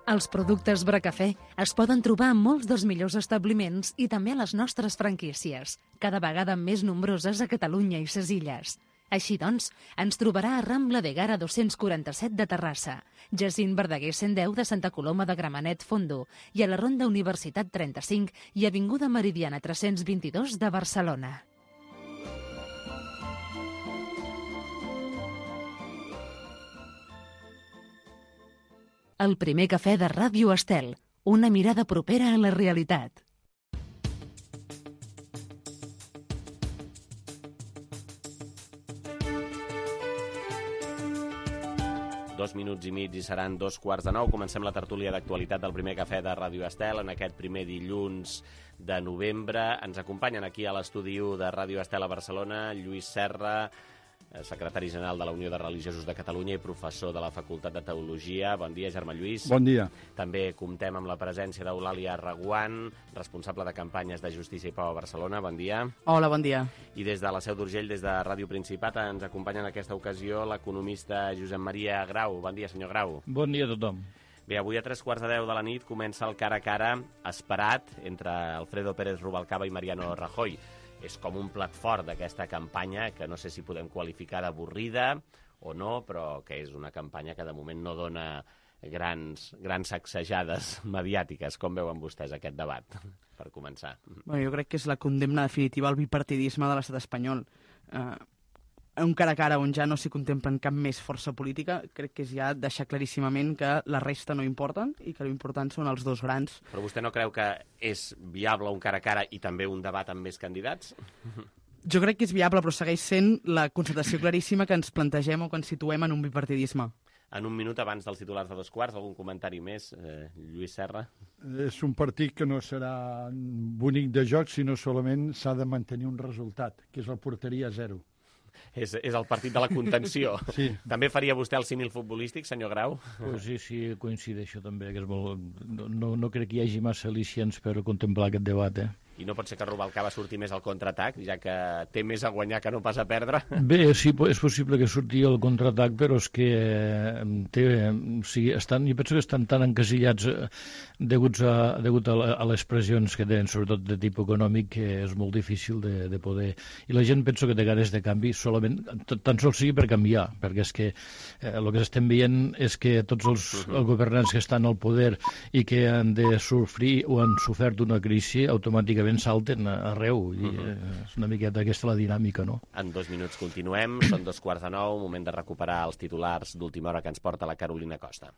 Els productes Bracafè es poden trobar en molts dels millors establiments i també a les nostres franquícies, cada vegada més nombroses a Catalunya i ses illes. Així doncs, ens trobarà a Rambla de Gara 247 de Terrassa, Jacint Verdaguer 110 de Santa Coloma de Gramenet Fondo i a la Ronda Universitat 35 i Avinguda Meridiana 322 de Barcelona. El primer cafè de Ràdio Estel, una mirada propera a la realitat. Dos minuts i mig i seran 2:15. Comencem la tertúlia d'actualitat del primer cafè de Ràdio Estel en aquest primer dilluns de novembre. Ens acompanyen aquí a l'estudi de Ràdio Estel a Barcelona Lluís Serra, secretari general de la Unió de Religiosos de Catalunya i professor de la Facultat de Teologia. Bon dia, Germà Lluís. Bon dia. També comptem amb la presència d'Eulàlia Reguant, responsable de campanyes de Justícia i Pau a Barcelona. Bon dia. Hola, bon dia. I des de la Seu d'Urgell, des de Ràdio Principat, ens acompanya en aquesta ocasió l'economista Josep Maria Grau. Bon dia, senyor Grau. Bon dia a tothom. Bé, avui a 3:15 de la nit comença el cara a cara esperat entre Alfredo Pérez Rubalcaba i Mariano Rajoy. És com un plat fort d'aquesta campanya que no sé si podem qualificar d'avorrida o no, però que és una campanya que de moment no dona grans sacsejades mediàtiques. Com veuen vostès aquest debat, per començar? Bueno, jo crec que és la condemna definitiva al bipartidisme de l'estat espanyol. Un cara a cara on ja no s'hi contemplen cap més força política, crec que és ja deixar claríssimament que la resta no importen i que l'important són els dos grans. Però vostè no creu que és viable un cara a cara i també un debat amb més candidats? Jo crec que és viable, però segueix sent la constatació claríssima que ens plantegem o que ens situem en un bipartidisme. En un minut abans dels titulars de 2:15, algun comentari més, Lluís Serra? És un partit que no serà bonic de joc, sinó solament s'ha de mantenir un resultat, que és la porteria a 0. És el partit de la contenció. Sí. També faria vostè el símil futbolístic, senyor Grau? Pues sí, coincideixo també, que és molt... No crec que hi hagi massa al·licients per contemplar aquest debat, I no pot ser que Rubalcaba surti més al contraatac, ja que té més a guanyar que no pas a perdre? Bé, sí, és possible que surti el contraatac, però és que jo penso que estan tan encasillats degut a les pressions que tenen, sobretot de tipus econòmic, que és molt difícil de poder... I la gent penso que té ganes de canvi solament, tan sols sigui per canviar, perquè és que el que estem veient és que tots els governants que estan al poder i que han de sofrir o han sofert una crisi, automàticament salten arreu, i és una miqueta aquesta la dinàmica, no? En 2 minuts continuem, són 8:45, moment de recuperar els titulars d'última hora que ens porta la Carolina Costa.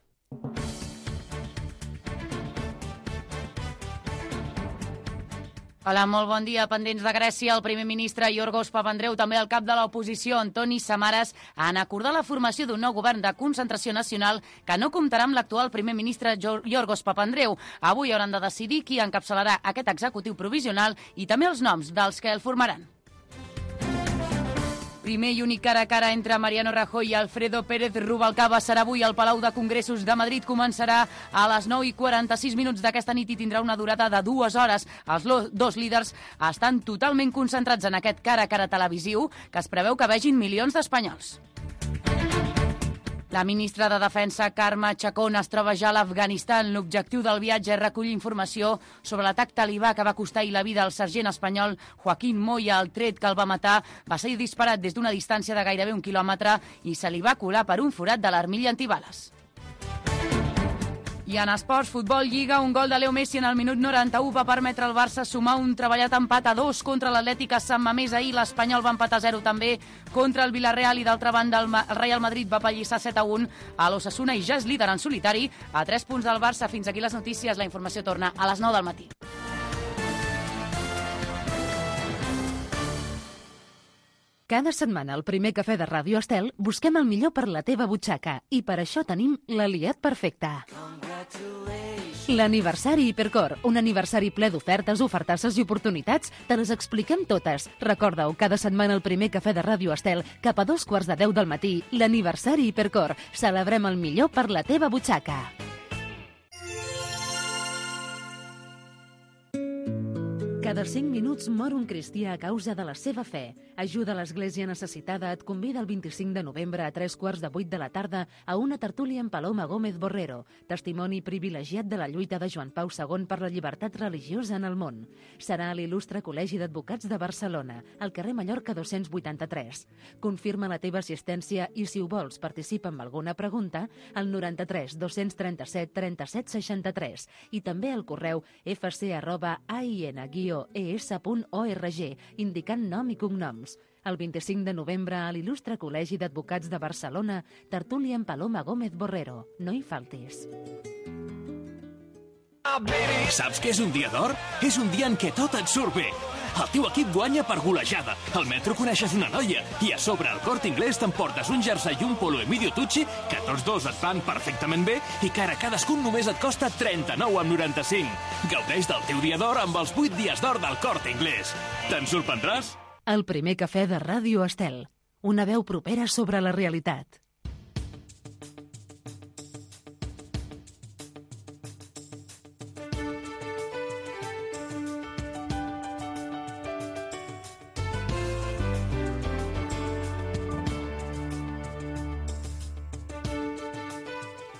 Hola, molt bon dia. Pendents de Grècia, el primer ministre Yorgos Papandreou, també el cap de l'oposició, Antoni Samaras, han acordat la formació d'un nou govern de concentració nacional que no comptarà amb l'actual primer ministre Yorgos Papandreou. Avui hauran de decidir qui encapçalarà aquest executiu provisional i també els noms dels que el formaran. Primer i únic cara a cara entre Mariano Rajoy i Alfredo Pérez Rubalcaba serà avui al Palau de Congressos de Madrid. Començarà a les 9:46 d'aquesta nit i tindrà una durada de 2 hores. Els dos líders estan totalment concentrats en aquest cara a cara televisiu que es preveu que vegin milions d'espanyols. La ministra de Defensa, Carme Chacón, es troba ja a l'Afganistan. L'objectiu del viatge és recollir informació sobre l'atac talibà que va costar ahir la vida al sergent espanyol Joaquín Moya. El tret que el va matar va ser disparat des d'una distància de gairebé 1 quilòmetre i se li va colar per un forat de l'armilla antibales. I en esports, futbol, Lliga, un gol de Leo Messi en el minut 91 va permetre al Barça sumar un treballat empat a 2 contra l'Atlètic a Sant Mamés. Ahir l'Espanyol va empatar 0 també contra el Villarreal i d'altra banda el Real Madrid va pallissar 7-1 a l'Osasuna i ja és líder en solitari a 3 punts del Barça. Fins aquí les notícies, la informació torna a les 9 del matí. Cada setmana al primer cafè de Ràdio Estel busquem el millor per la teva butxaca i per això tenim l'aliat perfecte. L'aniversari Hipercor, un aniversari ple d'ofertes, ofertasses i oportunitats, te les expliquem totes. Recorda-ho, cada setmana al primer cafè de Ràdio Estel, cap a 2:15 del matí, l'aniversari Hipercor. Celebrem el millor per la teva butxaca. Cada 5 minuts mor un cristià a causa de la seva fe. Ajuda l'Església Necessitada et convida el 25 de novembre a 7:45 de la tarda a una tertúlia amb Paloma Gómez Borrero, testimoni privilegiat de la lluita de Joan Pau II per la llibertat religiosa en el món. Serà a l'Il·lustre Col·legi d'Advocats de Barcelona, al carrer Mallorca 283. Confirma la teva assistència i, si ho vols, participa amb alguna pregunta al 93 237 37 63 i també al correu fc@ain-es.org, indicant nom i cognoms. El 25 de novembre a l'Il·lustre Col·legi d'Advocats de Barcelona, tertúlia amb Paloma Gómez Borrero. No hi faltis. Saps què és un dia d'or? És un dia en què tot et surt bé. El teu equip guanya per golejada, al metro coneixes una noia i a sobre al Corte Inglés t'emportes un jersei i un polo Emilio Tucci que tots dos et van perfectament bé i que ara cadascun només et costa 39,95. Gaudeix del teu dia d'or amb els 8 dies d'or del Corte Inglés. Te'n sorprendràs? El primer cafè de Ràdio Estel. Una veu propera sobre la realitat.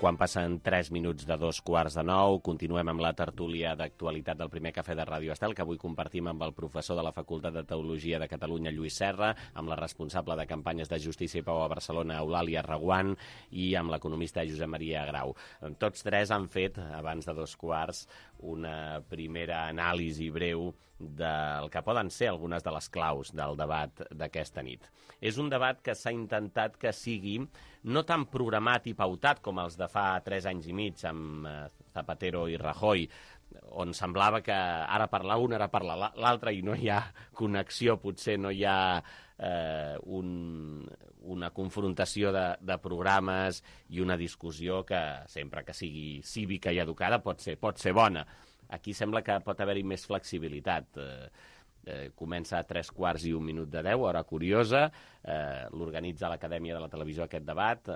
Quan passen 3 minuts de 8:45, continuem amb la tertúlia d'actualitat del primer cafè de Ràdio Estel, que avui compartim amb el professor de la Facultat de Teologia de Catalunya, Lluís Serra, amb la responsable de campanyes de Justícia i Pau a Barcelona, Eulàlia Reguant, i amb l'economista Josep Maria Grau. Tots tres han fet, abans de 2:15, una primera anàlisi breu del que poden ser algunes de les claus del debat d'aquesta nit. És un debat que s'ha intentat que sigui no tan programat i pautat com els de fa 3 anys i mig amb Zapatero i Rajoy, on semblava que ara parla un, ara parla l'altre i no hi ha connexió, potser no hi ha una confrontació de programes i una discussió que, sempre que sigui cívica i educada, pot ser bona. Aquí sembla que pot haver-hi més flexibilitat. Comença a 3:15, hora curiosa. L'organitza l'Acadèmia de la Televisió aquest debat.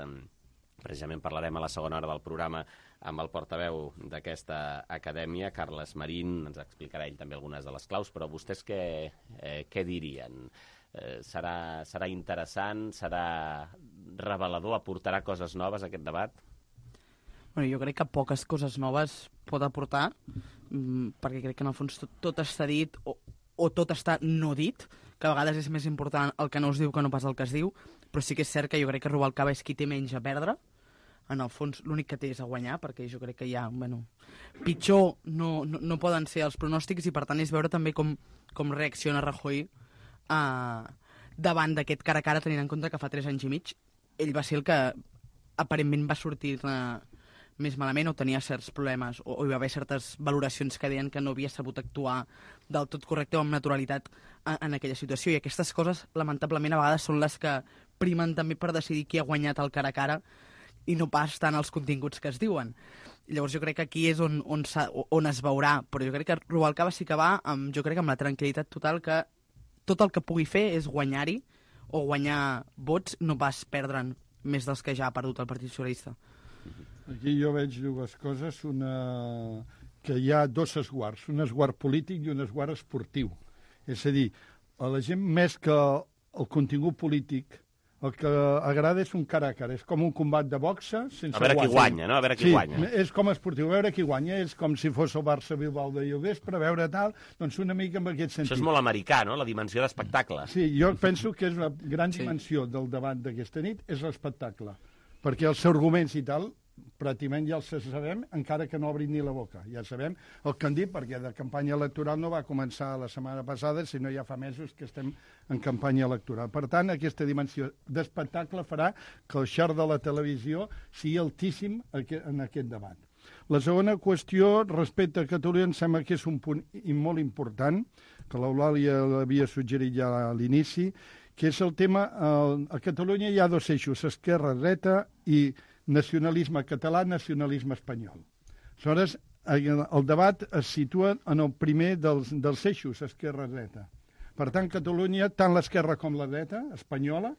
Precisament parlarem a la segona hora del programa amb el portaveu d'aquesta acadèmia, Carles Marín. Ens explicarà ell també algunes de les claus, però vostès què dirien? Serà interessant? Serà revelador? Aportarà coses noves aquest debat? Bueno, jo crec que poques coses noves pot aportar, perquè crec que en el fons tot està dit o tot està no dit, que a vegades és més important el que no es diu que no pas el que es diu, però sí que és cert que jo crec que Rubalcaba és qui té menys a perdre. En el fons l'únic que té és a guanyar, perquè jo crec que ja, pitjor no poden ser els pronòstics, i per tant és veure també com reacciona Rajoy davant d'aquest cara a cara, tenint en compte que fa 3 anys i mig ell va ser el que aparentment va sortir més malament o tenia certs problemes o hi va haver certes valoracions que deien que no havia sabut actuar del tot correcte o amb naturalitat en aquella situació, i aquestes coses lamentablement a vegades són les que primen també per decidir qui ha guanyat el cara a cara i no pas tant els continguts que es diuen. Llavors jo crec que aquí és on es veurà, però jo crec que Rubalcaba sí que va amb la tranquil·litat total que tot el que pugui fer és guanyar-hi o guanyar vots, no pas perdre'n més dels que ja ha perdut el Partit Socialista. Aquí jo veig dues coses, que hi ha dos esguards, un esguard polític i un esguard esportiu. És a dir, a la gent més que el contingut polític, el que agrada és un cara a cara, és com un combat de boxa sense guanya. A veure qui guanya, no? A veure qui guanya. Sí, és com esportiu, a veure qui guanya, és com si fos el Barça-Bilbao de vespre, a veure tal, doncs una mica en aquest sentit. Això és molt americà, no?, la dimensió d'espectacle. Sí, jo penso que és una gran dimensió del debat d'aquesta nit, és l'espectacle, perquè els arguments i tal, pràcticament ja els sabem, encara que no obrin ni la boca. Ja sabem el que han dit, perquè de campanya electoral no va començar la setmana passada, sinó ja fa mesos que estem en campanya electoral. Per tant, aquesta dimensió d'espectacle farà que el share de la televisió sigui altíssim en aquest debat. La segona qüestió, respecte a Catalunya, em sembla que és un punt molt important, que l'Eulàlia l'havia suggerit ja a l'inici, que és el tema, a Catalunya hi ha dos eixos, esquerra-dreta i nacionalisme català, nacionalisme espanyol. Aleshores, el debat es situa en el primer dels eixos, esquerra-dreta. Per tant, Catalunya, tant l'esquerra com la dreta, espanyola,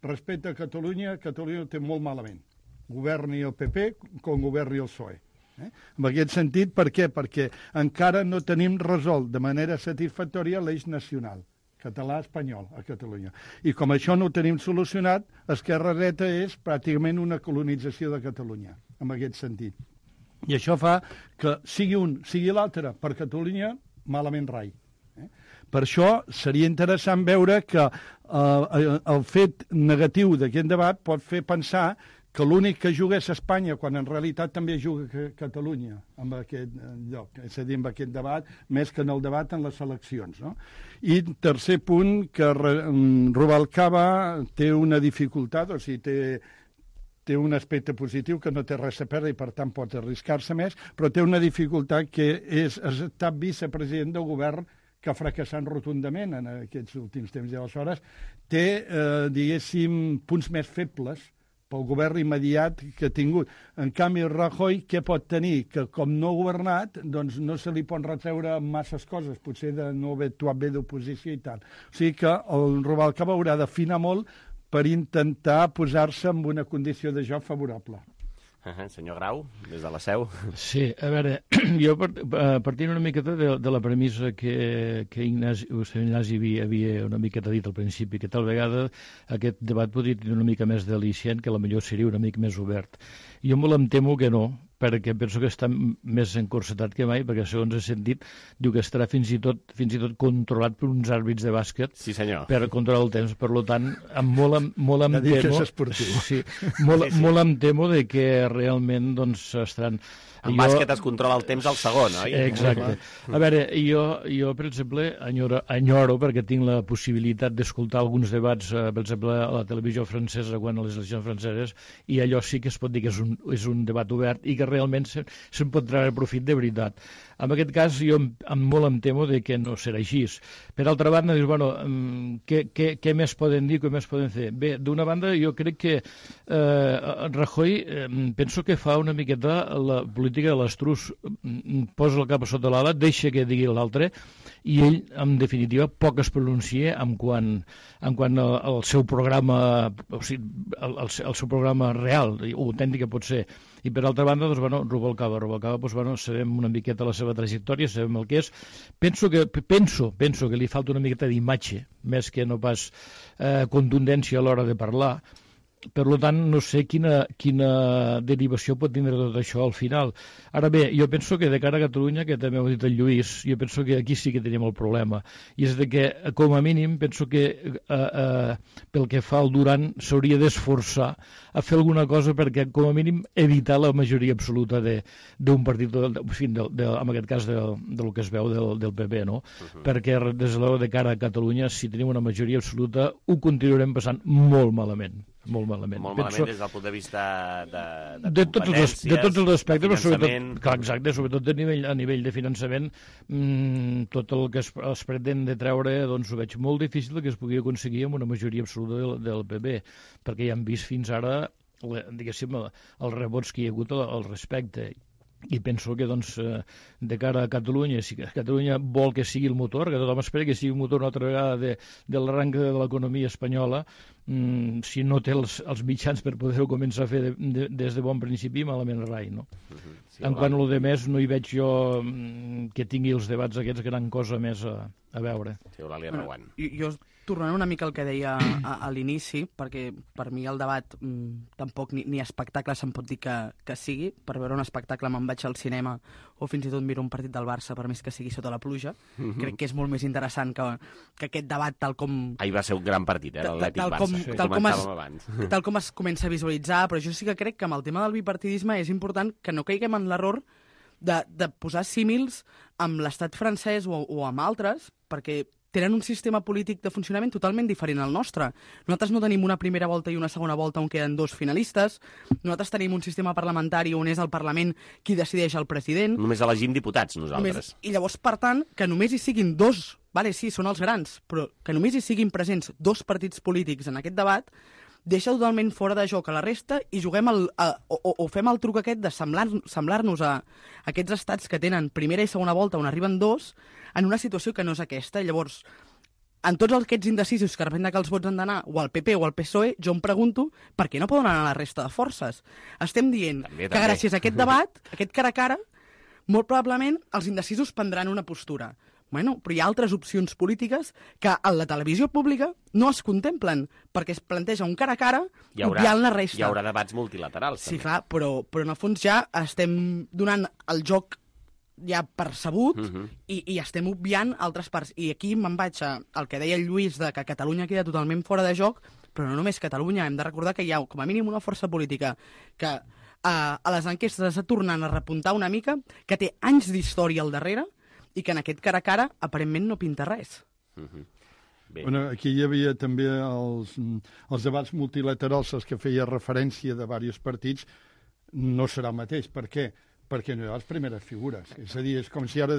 respecte a Catalunya ho té molt malament. Governi el PP com governi el PSOE. En aquest sentit, per què? Perquè encara no tenim resolt de manera satisfactòria l'eix nacional català-espanyol a Catalunya. I com això no ho tenim solucionat, esquerra-dreta és pràcticament una colonització de Catalunya, en aquest sentit. I això fa que sigui un, sigui l'altre, per Catalunya, malament rai. Per això seria interessant veure que el fet negatiu d'aquest debat pot fer pensar que l'únic que juga és Espanya, quan en realitat també juga Catalunya en aquest lloc, és a dir, en aquest debat, més que en el debat en les eleccions. No? I tercer punt, que Rubalcaba té una dificultat, o sigui, té un aspecte positiu que no té res a perdre i per tant pot arriscar-se més, però té una dificultat que és estar vicepresident del govern que ha fracassat rotundament en aquests últims temps. I aleshores té, diguéssim, punts més febles pel govern immediat que ha tingut. En canvi, Rajoy, què pot tenir? Que com no ha governat, doncs no se li pot retreure masses coses, potser de no haver actuat bé d'oposició i tal. O sigui que el Rubalcaba haurà d'afinar molt per intentar posar-se en una condició de joc favorable. Senyor Grau, des de la seu. Sí, a veure, jo partint una miqueta de la premissa que Ignasi havia una miqueta dit al principi, que tal vegada aquest debat podria tenir una mica més delicient, que potser seria una mica més obert. Jo molt em temo que no, perquè penso que està més encorsetat que mai, perquè segons he sentit, diu que estarà fins i tot controlat per uns àrbits de bàsquet. Sí, senyor. Per controlar el temps. Per tant, molt em temo... que és esportiu. Sí, molt em temo de que realment doncs, estaran... En bàsquet es controla el temps al segon, oi? Exacte. A veure, jo per exemple, enyoro, perquè tinc la possibilitat d'escoltar alguns debats, per exemple, a la televisió francesa, quan a les eleccions franceses, i allò sí que es pot dir que és un debat obert i que realment se'n pot treure profit de veritat. En aquest cas, jo molt em temo de que no serà així. Per altra banda, dius, bueno, què més poden dir, què més poden fer? Bé, d'una banda, jo crec que Rajoy, penso que fa una miqueta la política de l'estrus, posa el cap a sota l'ala, deixa que digui l'altre, i ell, en definitiva, poc es pronuncia en quant al seu programa, o sigui, el seu programa real, o autèntic que pot ser. I per altra banda, doncs, bueno, Rubalcaba, doncs, bueno, sabem una miqueta la seva trajectòria, sabem el que és. Penso que li falta una miqueta d'imatge, més que no pas contundència a l'hora de parlar. Per tant, no sé quina derivació pot tindre tot això al final. Ara bé, jo penso que de cara a Catalunya, que també ho ha dit el Lluís, jo penso que aquí sí que tenim el problema. I és de que, com a mínim, penso que pel que fa al Duran s'hauria d'esforçar a fer alguna cosa perquè, com a mínim, evitar la majoria absoluta d'un partit, en aquest cas del que es veu del PP, no? Perquè, des de cara a Catalunya, si tenim una majoria absoluta, ho continuarem passant molt malament. Molt malament. Molt malament des del punt de vista de competències, de tots els aspectes, de finançament... Clar, exacte, sobretot a nivell de finançament, tot el que es pretén de treure, doncs ho veig molt difícil que es pugui aconseguir amb una majoria absoluta del PP, perquè ja hem vist fins ara, diguéssim, els rebots que hi ha hagut al respecte. I penso que, doncs, de cara a Catalunya, si Catalunya vol que sigui el motor, que tothom espera que sigui el motor una altra vegada de l'arranque de l'economia espanyola, si no té els mitjans per poder-ho començar a fer des de bon principi, malament rai, no? En quant a lo de més, no hi veig jo que tingui els debats aquests gran cosa més a veure. Sí, Eulàlia Reguant. Jo tornant una mica al que deia a l'inici, perquè per mi el debat tampoc ni espectacle se'n pot dir que sigui. Per veure un espectacle me'n vaig al cinema o fins i tot miro un partit del Barça, per més que sigui sota la pluja. Crec que és molt més interessant que aquest debat tal com... Ahir va ser un gran partit, l'Atlètic Barça. Tal com es comença a visualitzar, però jo sí que crec que amb el tema del bipartidisme és important que no caiguem en l'error de posar símils amb l'estat francès o amb altres, perquè tenen un sistema polític de funcionament totalment diferent al nostre. Nosaltres no tenim una primera volta i una segona volta on queden dos finalistes. Nosaltres tenim un sistema parlamentari on és el Parlament qui decideix el president. Només elegim diputats, nosaltres. I llavors, per tant, que només hi siguin dos, vale, sí, són els grans, però que només hi siguin presents dos partits polítics en aquest debat, deixa totalment fora de joc a la resta i juguem o fem el truc aquest de semblar-nos a aquests estats que tenen primera i segona volta on arriben dos en una situació que no és aquesta. Llavors, en tots aquests indecisos que depèn de que els vots han d'anar o al PP o al PSOE, jo em pregunto per què no poden anar a la resta de forces. Estem dient que gràcies a aquest debat, aquest cara a cara, molt probablement els indecisos prendran una postura. Bueno, però hi ha altres opcions polítiques que a la televisió pública no es contemplen, perquè es planteja un cara a cara obviant la resta. Hi haurà debats multilaterals, sí, també. clar, però en el fons ja estem donant el joc ja percebut i estem obviant altres parts. I aquí me'n vaig al que deia el Lluís, de que Catalunya queda totalment fora de joc, però no només Catalunya. Hem de recordar que hi ha com a mínim una força política que a les enquestes està tornant a repuntar una mica, que té anys d'història al darrere, i que en aquest cara a cara aparentment no pinta res. Bueno, aquí hi havia també els debats multilaterals als que feia referència de diversos partits, no serà el mateix. Per què? Perquè no hi ha les primeres figures. És a dir, és com si ara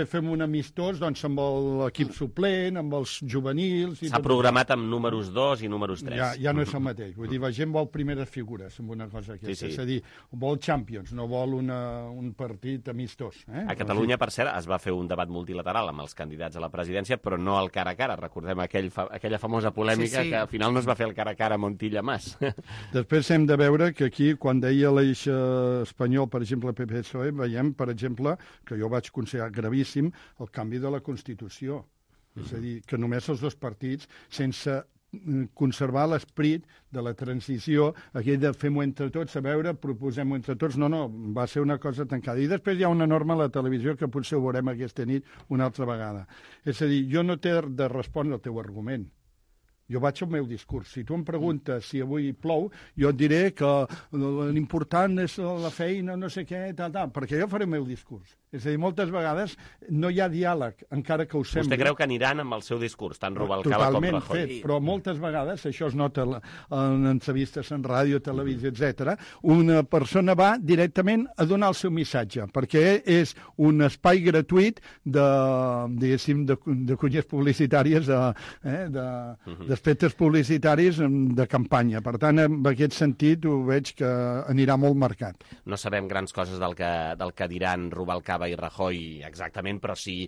fem un amistós doncs, amb l'equip suplent, amb els juvenils... S'ha programat amb números 2 i números 3. Ja no és el mateix. Vull dir, la gent vol primeres figures amb una cosa aquesta. És a dir, vol Champions, no vol un partit amistós. A Catalunya, per cert, es va fer un debat multilateral amb els candidats a la presidència, però no al cara a cara. Recordem aquella famosa polèmica que al final no es va fer el cara a cara Montilla-Mas. Després hem de veure que aquí, quan deia l'eix espanyol, per exemple, PP, veiem, per exemple, que jo vaig considerar gravíssim el canvi de la Constitució. És a dir, que només els dos partits, sense conservar l'esperit de la transició, aquell de fem-ho entre tots, a veure, proposem-ho entre tots, no, va ser una cosa tancada. I després hi ha una norma a la televisió que potser ho veurem aquesta nit una altra vegada. És a dir, jo no t'he de respondre al teu argument. Jo vaig al meu discurs. Si tu em preguntes si avui plou, jo et diré que l'important és la feina, no sé què, perquè jo faré el meu discurs. És a dir, moltes vegades no hi ha diàleg, encara que ho sembli. Vostè creu que aniran amb el seu discurs, tant Rubalcaba com Rajoy? Totalment fet, però moltes vegades, això es nota en entrevistes en ràdio, televisió, etc. Una persona va directament a donar el seu missatge, perquè és un espai gratuït de cunyes publicitàries, de aspectes publicitaris de campanya. Per tant, en aquest sentit ho veig que anirà molt marcat. No sabem grans coses del que diran Rubalcaba i Rajoy exactament, però sí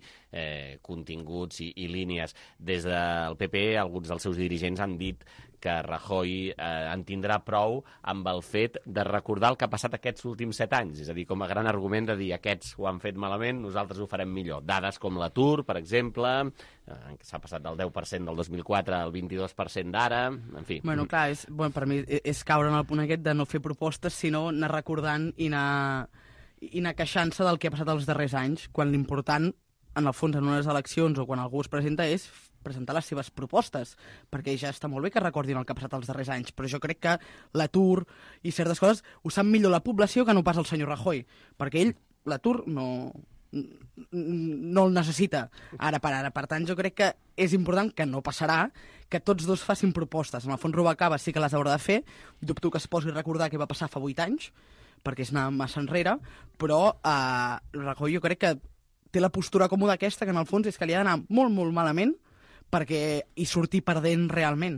continguts i línies. Des del PP, alguns dels seus dirigents han dit que Rajoy en tindrà prou amb el fet de recordar el que ha passat aquests últims 7 anys. És a dir, com a gran argument de dir aquests ho han fet malament, nosaltres ho farem millor. Dades com l'atur, per exemple, que s'ha passat del 10% del 2004 al 22% d'ara, en fi. Bueno, clar, per mi és caure en el punt aquest de no fer propostes, sinó anar recordant i anar queixant-se del que ha passat els darrers anys, quan l'important, en el fons, en unes eleccions o quan algú es presenta, és presentar les seves propostes, perquè ja està molt bé que recordin el que ha passat els darrers anys, però jo crec que l'atur i certes coses ho sap millor la població que no pas el senyor Rajoy, perquè ell l'atur no el necessita ara per ara. Per tant, jo crec que és important, que no passarà, que tots dos facin propostes. En el fons, Rubalcaba sí que les haurà de fer, dubto que es posi a recordar què va passar fa 8 anys, perquè és anar massa enrere, però Rajoy jo crec que té la postura còmoda aquesta, que en el fons és que li ha d'anar molt, molt malament perquè hi sortir perdent realment.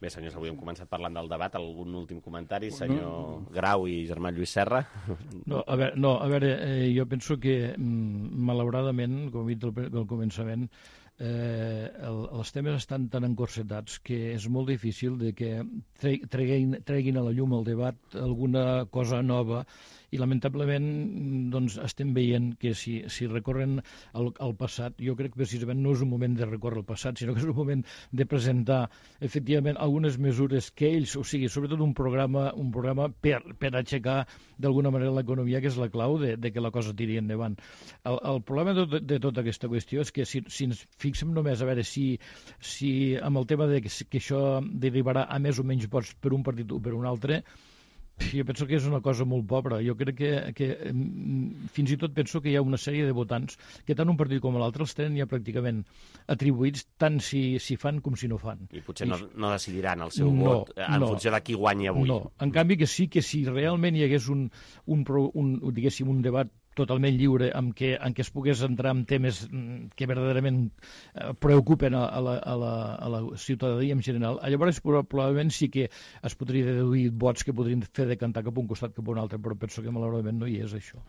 Bé, senyors, avui hem començat parlant del debat. Algun últim comentari, senyor Grau i germà Lluís Serra? No, a veure, jo penso que, malauradament, com he dit al començament, els temes estan tan encorsetats que és molt difícil de que treguin a la llum el debat alguna cosa nova, i lamentablement doncs, estem veient que si recorren al passat, jo crec que precisament no és un moment de recórrer al passat, sinó que és un moment de presentar efectivament algunes mesures que ells, o sigui, sobretot un programa per aixecar d'alguna manera l'economia, que és la clau de que la cosa tiri endavant. El problema de tota aquesta qüestió és que si ens fixem només a veure si amb el tema de que això derivarà a més o menys vots per un partit o per un altre, jo penso que és una cosa molt pobra. Jo crec que fins i tot penso que hi ha una sèrie de votants que tant un partit com l'altre els tenen ja pràcticament atribuïts tant si fan com si no fan. I potser no decidiran el seu vot en funció de qui guanya avui. No, en canvi que sí que si realment hi hagués diguéssim, un debat totalment lliure en què es pogués entrar en temes que verdaderament preocupen a la ciutadania en general, llavors probablement sí que es podria deduir vots que podrien fer decantar cap a un costat cap a un altre, però penso que malauradament no hi és això.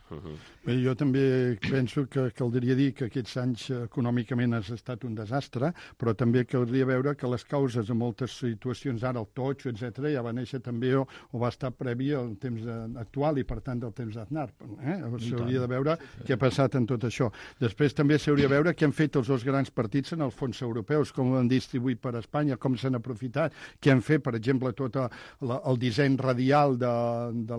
Bé, jo també penso que caldria dir que aquests anys econòmicament ha estat un desastre, però també caldria veure que les causes de moltes situacions, ara el totxo, etc., ja va néixer també o va estar previ al temps actual i per tant del temps d'Aznar. S'hauria de veure què ha passat en tot això. Després també s'hauria de veure què han fet els dos grans partits en els fons europeus, com ho han distribuït per Espanya, com s'han aprofitat, què han fet, per exemple, tot el disseny radial de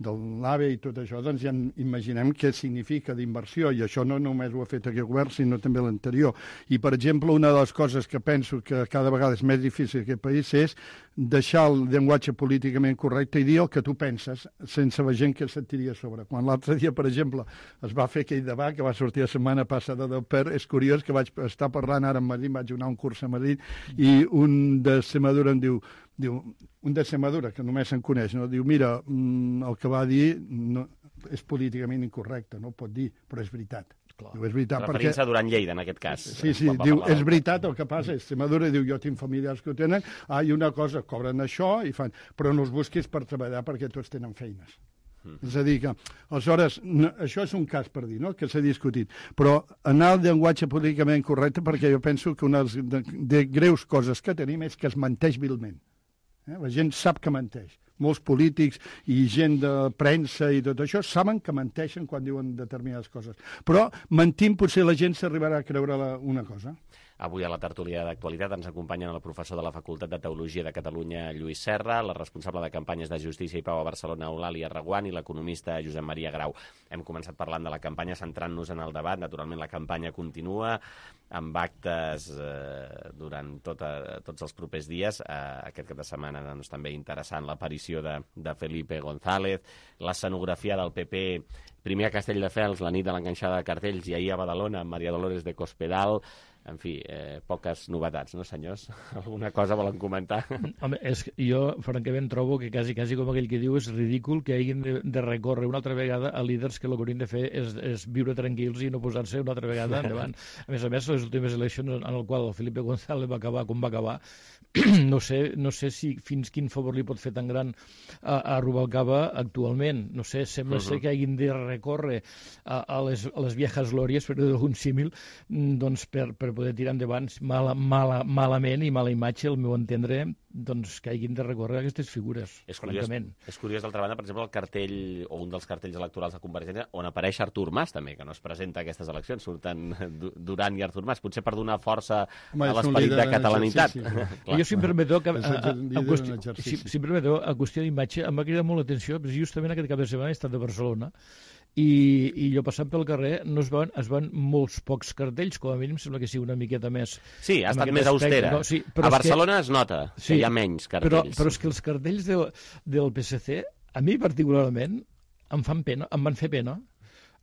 l'AVE i tot això, doncs ja imaginem què significa d'inversió, i això no només ho ha fet aquest govern, sinó també l'anterior. I, per exemple, una de les coses que penso que cada vegada és més difícil en aquest país és deixar el llenguatge políticament correcte i dir el que tu penses, sense la gent que se't tiri a sobre. Quan l'altre dia, per exemple, es va fer aquell debat que va sortir la setmana passada del PER, és curiós que vaig estar parlant ara a Madrid, vaig anar a un curs a Madrid, i un de Extremadura em diu un de Extremadura, que només se'n coneix, no? Diu, mira, el que va dir és políticament incorrecte, no ho pot dir, però és veritat. Diu, és veritat, referint-se a Duran Lleida, en aquest cas. Sí, diu, és veritat el que passa, Extremadura diu, jo tinc familiars que ho tenen, i una cosa, cobren això i fan, però no els busquis per treballar perquè tots tenen feines. És a dir que, aleshores, això és un cas per dir, no?, que s'ha discutit, però anar al llenguatge políticament correcte, perquè jo penso que una de greus coses que tenim és que es menteix vilment. La gent sap que menteix. Molts polítics i gent de premsa i tot això saben que menteixen quan diuen determinades coses. Però mentint potser la gent s'arribarà a creure una cosa. Avui a la tertúlia d'actualitat ens acompanyen el professor de la Facultat de Teologia de Catalunya, Lluís Serra, la responsable de campanyes de Justícia i Pau a Barcelona, Eulàlia Reguant, i l'economista Josep Maria Grau. Hem començat parlant de la campanya, centrant-nos en el debat. Naturalment, la campanya continua amb actes durant tots els propers dies. Aquest cap de setmana doncs, també interessant l'aparició de Felipe González, l'escenografia del PP, primer a Castelldefels, la nit de l'enganxada de cartells, i ahir a Badalona, amb Maria Dolores de Cospedal. En fi, poques novetats, no, senyors? Alguna cosa volen comentar? Home, jo, francament, trobo que quasi com aquell que diu és ridícul que hagin de recórrer una altra vegada a líders que el que haurien de fer és viure tranquils i no posar-se una altra vegada endavant. A més, les últimes eleccions en el qual el Felipe González va acabar com va acabar, no sé si fins quin favor li pot fer tan gran a Rubalcaba actualment. No sé, sembla ser que hagin de recórrer a les viejas glòries, per dir d'algun símil, doncs per poder tirar endavant malament i mala imatge, al meu entendre, doncs que hagin de recórrer a aquestes figures, francament. És curiós, d'altra banda, per exemple, el cartell, o un dels cartells electorals de Convergència, on apareix Artur Mas, també, que no es presenta a aquestes eleccions, surten Duran i Artur Mas, potser per donar força a l'esperit de catalanitat. Jo, si em permeteu, a qüestió d'imatge, em va cridar molt l'atenció, perquè justament aquest cap de setmana he estat a Barcelona, i jo passant pel carrer es van molts pocs cartells, com a mínim sembla que sigui una miqueta més... Sí, ha estat més austera. No? Sí, a Barcelona es nota que hi ha menys cartells. Però és que els cartells del PSC, a mi particularment, em van fer pena.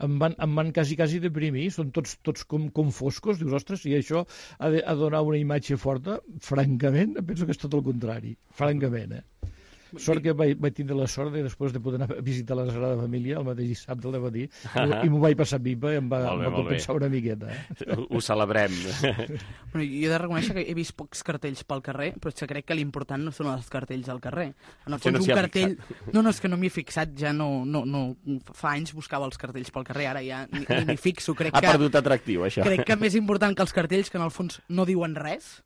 Em van quasi deprimir, són tots com foscos, dius, ostres, i això ha de donar una imatge forta, francament, penso que és tot el contrari, francament, Sort que vaig tindre la sort de, després de poder anar a visitar la Sagrada Família el mateix dissabte al matí, i m'ho vaig passar pipa i em va compensar una miqueta. Ho celebrem. Bueno, jo he de reconèixer que he vist pocs cartells pel carrer, però és que crec que l'important no són els cartells al carrer. En el fons, un cartell... No, és que no m'hi he fixat, ja no... Fa anys buscava els cartells pel carrer, ara ja ni m'hi fixo. Ha perdut atractiu, això. Crec que més important que els cartells, que en el fons no diuen res,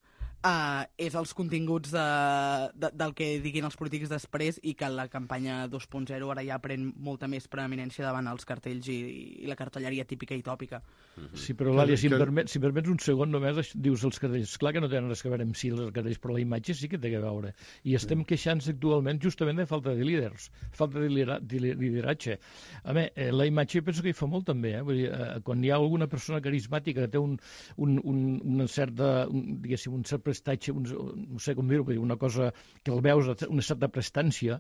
és els continguts del que diguin els polítics després, i que la campanya 2.0 ara ja pren molta més preeminència davant els cartells i la cartelleria típica i tòpica. Sí, però l'Àlia, si em permets un segon només, dius els cartells. Clar que no tenen res a veure amb si els cartells, però la imatge sí que té a veure. I estem queixant-nos actualment justament de falta de líders, falta de lideratge. A més, la imatge penso que hi fa molt també. Vull dir, quan hi ha alguna persona carismàtica que té una certa, diguéssim, un cert prestatge, no sé com dir-ho, una cosa que el veus, una certa prestància,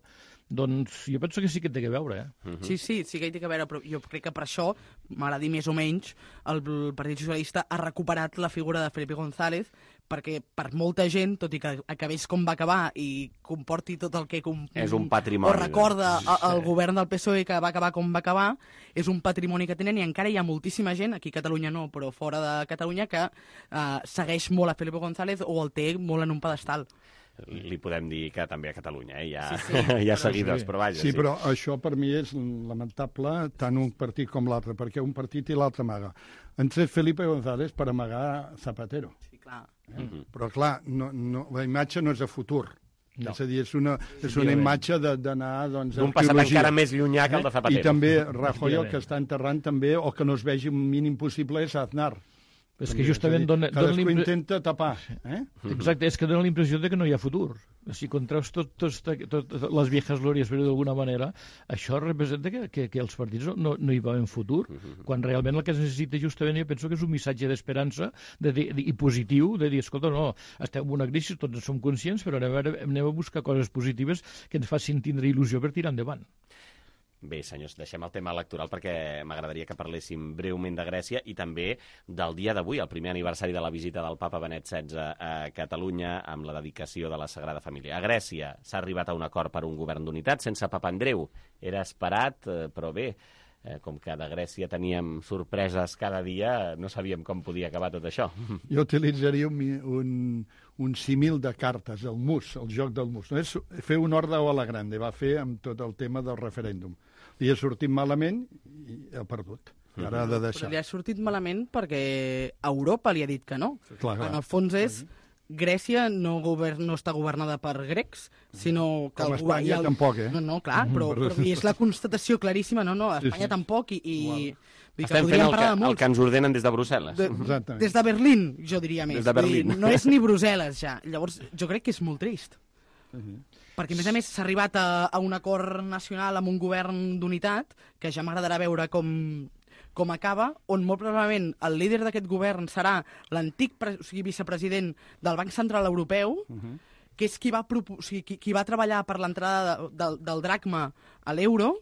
doncs jo penso que sí que té a veure. Sí que hi té a veure, però jo crec que per això, m'agradi més o menys, el Partit Socialista ha recuperat la figura de Felipe González, perquè per molta gent, tot i que acabés com va acabar i comporti tot el que és un patrimoni, o recorda el govern del PSOE que va acabar com va acabar, és un patrimoni que tenen, i encara hi ha moltíssima gent, aquí a Catalunya no, però fora de Catalunya, que segueix molt a Felipe González o el té molt en un pedestal. Li podem dir que també a Catalunya, hi ha seguidors, però vaja. Sí, però això per mi és lamentable, tant un partit com l'altre, perquè un partit i l'altre amaga. Han tret Felipe González per amagar Zapatero. Sí, clar. Però clar, la imatge no és de futur. No. És a dir, és una imatge d'anar d'un passat encara més llunyà que el de Zapatero. I també Rajoy, el que està enterrant també, o que no es vegi un mínim possible, és Aznar. És que justament cadascú intenta tapar. Exacte, és que dona la impressió de que no hi ha futur. Si contraus totes les viejas glòries, però d'alguna manera, això representa que els partits no hi veuen futur, quan realment el que es necessita justament, jo penso que és un missatge d'esperança i positiu, de dir, escolta, no, estem en una crisi, tots som conscients, però anem a buscar coses positives que ens facin tindre il·lusió per tirar endavant. Bé, senyors, deixem el tema electoral perquè m'agradaria que parléssim breument de Grècia i també del dia d'avui, el primer aniversari de la visita del papa Benet XVI a Catalunya amb la dedicació de la Sagrada Família. A Grècia s'ha arribat a un acord per un govern d'unitat sense Papandreou. Era esperat, però bé, com que de Grècia teníem sorpreses cada dia, no sabíem com podia acabar tot això. Jo utilitzaria un símil de cartes, el mus, el joc del mus. No és fer un ordre a la grande, va fer amb tot el tema del referèndum. Li ha sortit malament i ha perdut. Ara ha de deixar. Però li ha sortit malament perquè Europa li ha dit que no. Clar. En el fons és... Grècia no està governada per grecs, sinó que... Com Espanya tampoc, No, clar, però és la constatació claríssima, Espanya tampoc, i estem fent el que ens ordenen des de Brussel·les. Des de Berlín, jo diria més. Des de Berlín. No és ni Brussel·les, ja. Llavors, jo crec que és molt trist. Perquè, a més, s'ha arribat a un acord nacional amb un govern d'unitat, que ja m'agradarà veure com acaba, on molt probablement el líder d'aquest govern serà l'antic vicepresident del Banc Central Europeu, que és qui va treballar per l'entrada del dracma a l'euro.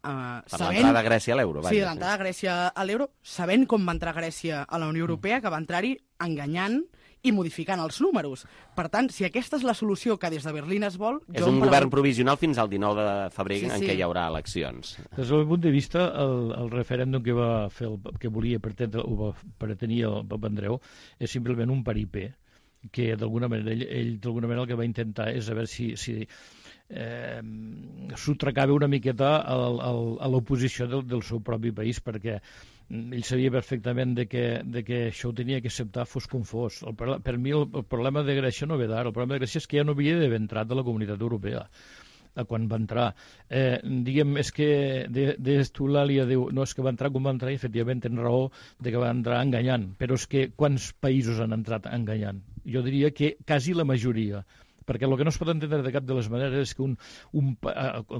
Per l'entrada de Grècia a l'euro. Sí, l'entrada de Grècia a l'euro, sabent com va entrar Grècia a la Unió Europea, que va entrar-hi enganyant i modificant els números. Per tant, si aquesta és la solució que des de Berlín es vol... És un govern provisional fins al 19 de febrer en què hi haurà eleccions. Des del meu punt de vista, el referèndum que va fer, que volia pretenir el Pep Andreu és simplement un paripé, que d'alguna manera ell d'alguna manera el que va intentar és a veure si s'ho tracava una miqueta a l'oposició del seu propi país, perquè ell sabia perfectament que això ho tenia que acceptar fos com fos. Per mi el problema de Grècia no ve d'ara, el problema de Grècia és que ja no havia d'haver entrat a la Comunitat Europea quan va entrar. Diguem, és que l'Eulàlia diu, no, és que va entrar com va entrar i efectivament tens raó de que va entrar enganyant, però és que quants països han entrat enganyant? Jo diria que quasi la majoria, perquè el que no es pot entendre de cap de les maneres és que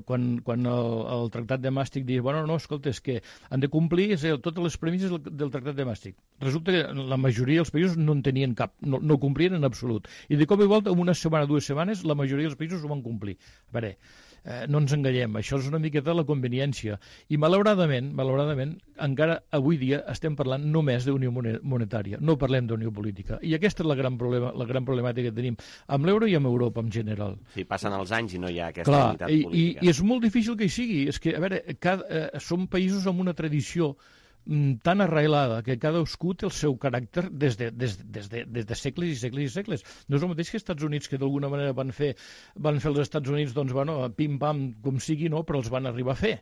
quan el Tractat de Maastricht diu, bueno, no, escolta, és que han de complir totes les premisses del Tractat de Maastricht. Resulta que la majoria dels països no en tenien cap, no complien en absolut. I de cop i volta, en una setmana, 2 setmanes, la majoria dels països ho van complir. A veure, no ens enganyem, això és una miqueta la conveniència. I malauradament, encara avui dia estem parlant només d'unió monetària, no parlem d'unió política. I aquesta és la gran problemàtica que tenim amb l'euro i amb Europa en general. Sí, passen els anys i no hi ha aquesta unitat política. I és molt difícil que hi sigui. És que, a veure, som països amb una tradició tan arrelada que cadascú té el seu caràcter des de segles i segles i segles. No és el mateix que els Estats Units, que d'alguna manera van fer els Estats Units, doncs, bueno, pim-pam, com sigui, no, però els van arribar a fer.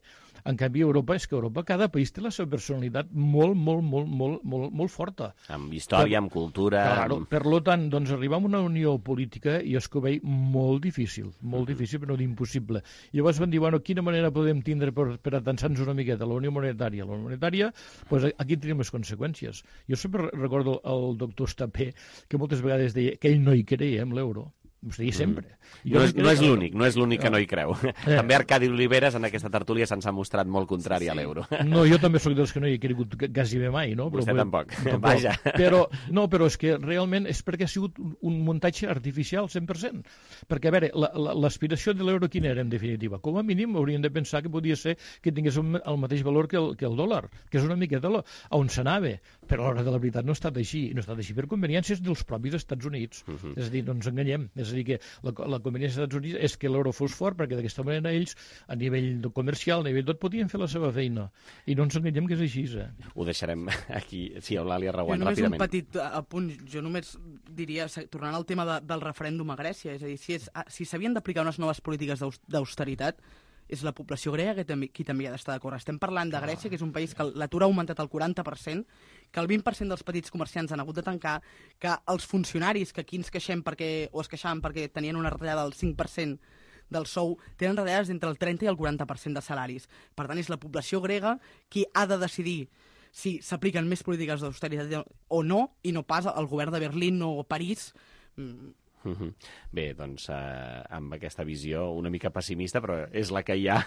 En canvi, Europa, cada país té la seva personalitat molt forta. Amb història, amb cultura... Claro, per tant, doncs, arribar a una unió política i és que ho veig molt difícil, però no d'impossible. Llavors van dir, bueno, quina manera podem tindre per atensar-nos una miqueta la unió monetària? La unió monetària, doncs aquí tenim les conseqüències. Jo sempre recordo el doctor Estapé, que moltes vegades deia que ell no hi creia en l'euro. Ho deia sempre. No és l'únic que no hi creu. També Arcadi Oliveres en aquesta tertúlia se'ns ha mostrat molt contrari a l'euro. No, jo també sóc dels que no hi he cregut quasi bé mai, no? Vostè tampoc. Vaja. Però és que realment és perquè ha sigut un muntatge artificial 100%. Perquè, a veure, l'aspiració de l'euro quina era, en definitiva? Com a mínim hauríem de pensar que podia ser que tingués el mateix valor que el dòlar, que és una miqueta on s'anava. Però a l'hora de la veritat no ha estat així. No ha estat així per conveniències dels propis Estats Units. És a dir, no ens enganyem. És a dir, que la conveniència dels Estats Units és que l'euro fos fort, perquè d'aquesta manera ells, a nivell comercial, a nivell tot, podien fer la seva feina. I no ens enganyem que és així. Ho deixarem aquí. Sí, Eulàlia Reguant, ràpidament. Un petit apunt. Jo només diria, tornant al tema del referèndum a Grècia, és a dir, si s'havien d'aplicar unes noves polítiques d'austeritat, és la població grega qui també ha d'estar d'acord. Estem parlant de Grècia, que és un país que l'atur ha augmentat al 40%, que el 20% dels petits comerciants han hagut de tancar, que els funcionaris, que aquí ens queixem o es queixaven perquè tenien una retallada del 5% del sou, tenen retallades entre el 30 i el 40% de salaris. Per tant, és la població grega qui ha de decidir si s'apliquen més polítiques d'austeritat o no, i no pas el govern de Berlín o París. Bé, doncs amb aquesta visió una mica pessimista, però és la que hi ha.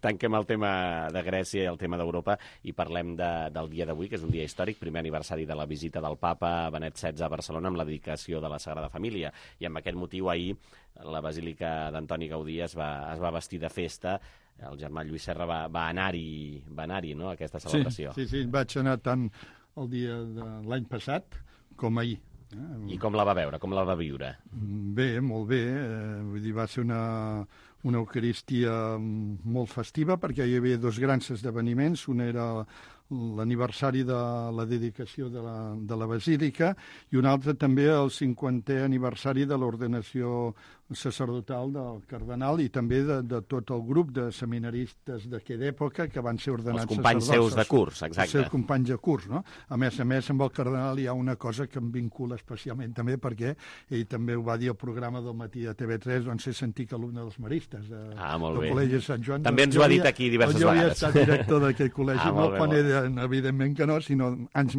Tanquem el tema de Grècia i el tema d'Europa i parlem del dia d'avui, que és un dia històric, primer aniversari de la visita del papa Benet XVI a Barcelona amb la dedicació de la Sagrada Família, i amb aquest motiu ahir la Basílica d'Antoni Gaudí es va vestir de festa. El germà Lluís Serra va anar-hi, no?, a aquesta celebració. Sí, vaig anar tant el dia de l'any passat com ahir. I com la va veure, com la va viure? Bé, molt bé. Vull dir, va ser una Eucaristia molt festiva, perquè hi havia 2 grans esdeveniments. Un era l'aniversari de la dedicació de la Basílica i un altre també el 50è aniversari de l'ordenació sacerdotal del cardenal i també de tot el grup de seminaristes d'aquella època que van ser ordenats sacerdots. Els companys seus de curs, exacte. Els seus companys de curs, no? A més, amb el cardenal hi ha una cosa que em vincula especialment també, perquè ell també ho va dir al programa del matí de TV3, on sé sentir que alumne dels maristes del Col·legi de Sant Joan. També ens ho ha dit aquí diverses vegades. Jo havia estat director d'aquell col·legi, no quan evidentment que no, sinó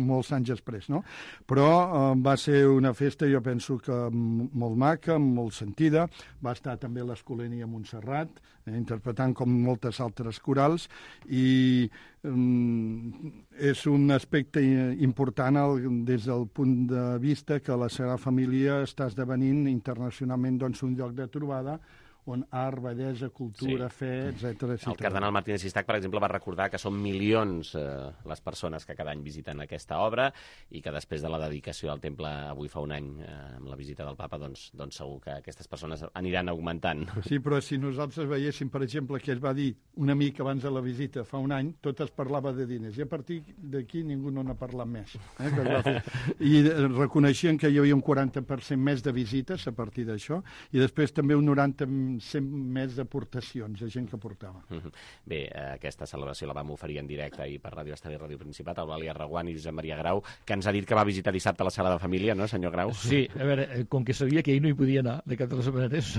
molts anys després, no? Però va ser una festa, jo penso que molt maca, molt sentida. Va estar també l'Escolania Montserrat, interpretant com moltes altres corals, i és un aspecte important des del punt de vista que la Sagrada Família està esdevenint internacionalment un lloc de trobada on art, bellesa, cultura, fe, etc. El cardenal Martínez Sistac, per exemple, va recordar que són milions les persones que cada any visiten aquesta obra i que després de la dedicació al temple avui fa un any amb la visita del papa, doncs segur que aquestes persones aniran augmentant. Sí, però si nosaltres veiéssim, per exemple, que es va dir una mica abans de la visita fa un any, tot es parlava de diners, i a partir d'aquí ningú no n'ha parlat més. I reconeixien que hi havia un 40% més de visites a partir d'això, i després també un 90% més d'aportacions de gent que portava. Bé, aquesta celebració la vam oferir en directe ahir per Ràdio Estadi i Ràdio Principat, Eulàlia Reguant i Josep Maria Grau, que ens ha dit que va visitar dissabte la sala de família, no, senyor Grau? Sí, a veure, com que sabia que ell no hi podia anar de cap de les maneres,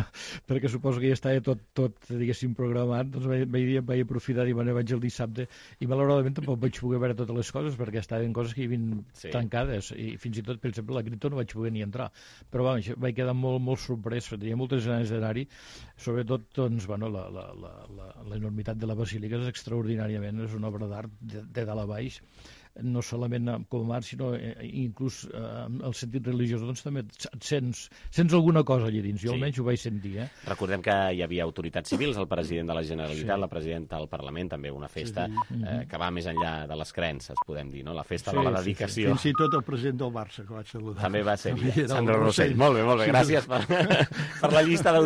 perquè suposo que ja estava tot diguéssim, programat, doncs vaig aprofitar i vaig el dissabte, i malauradament tampoc vaig poder veure totes les coses, perquè estaven coses que hi havien tancades, i fins i tot, per exemple, la Cripto no vaig poder ni entrar. Però vaig quedar molt sorprès, tenia moltes ganes d'anar-hi, sobretot, doncs, bueno, l'enormitat de la basílica és extraordinàriament, és una obra d'art de dalt a baix, no solament com a art, sinó inclús el sentit religiós, doncs també sents alguna cosa allà dins, jo almenys ho vaig sentir. Recordem que hi havia autoritats civils, el president de la Generalitat, la presidenta del Parlament, també una festa que va més enllà de les creences, podem dir, no? La festa de la dedicació. Fins i tot el president del Barça, que vaig saludar. També va ser Sandro Rossell. Molt bé, gràcies per la llista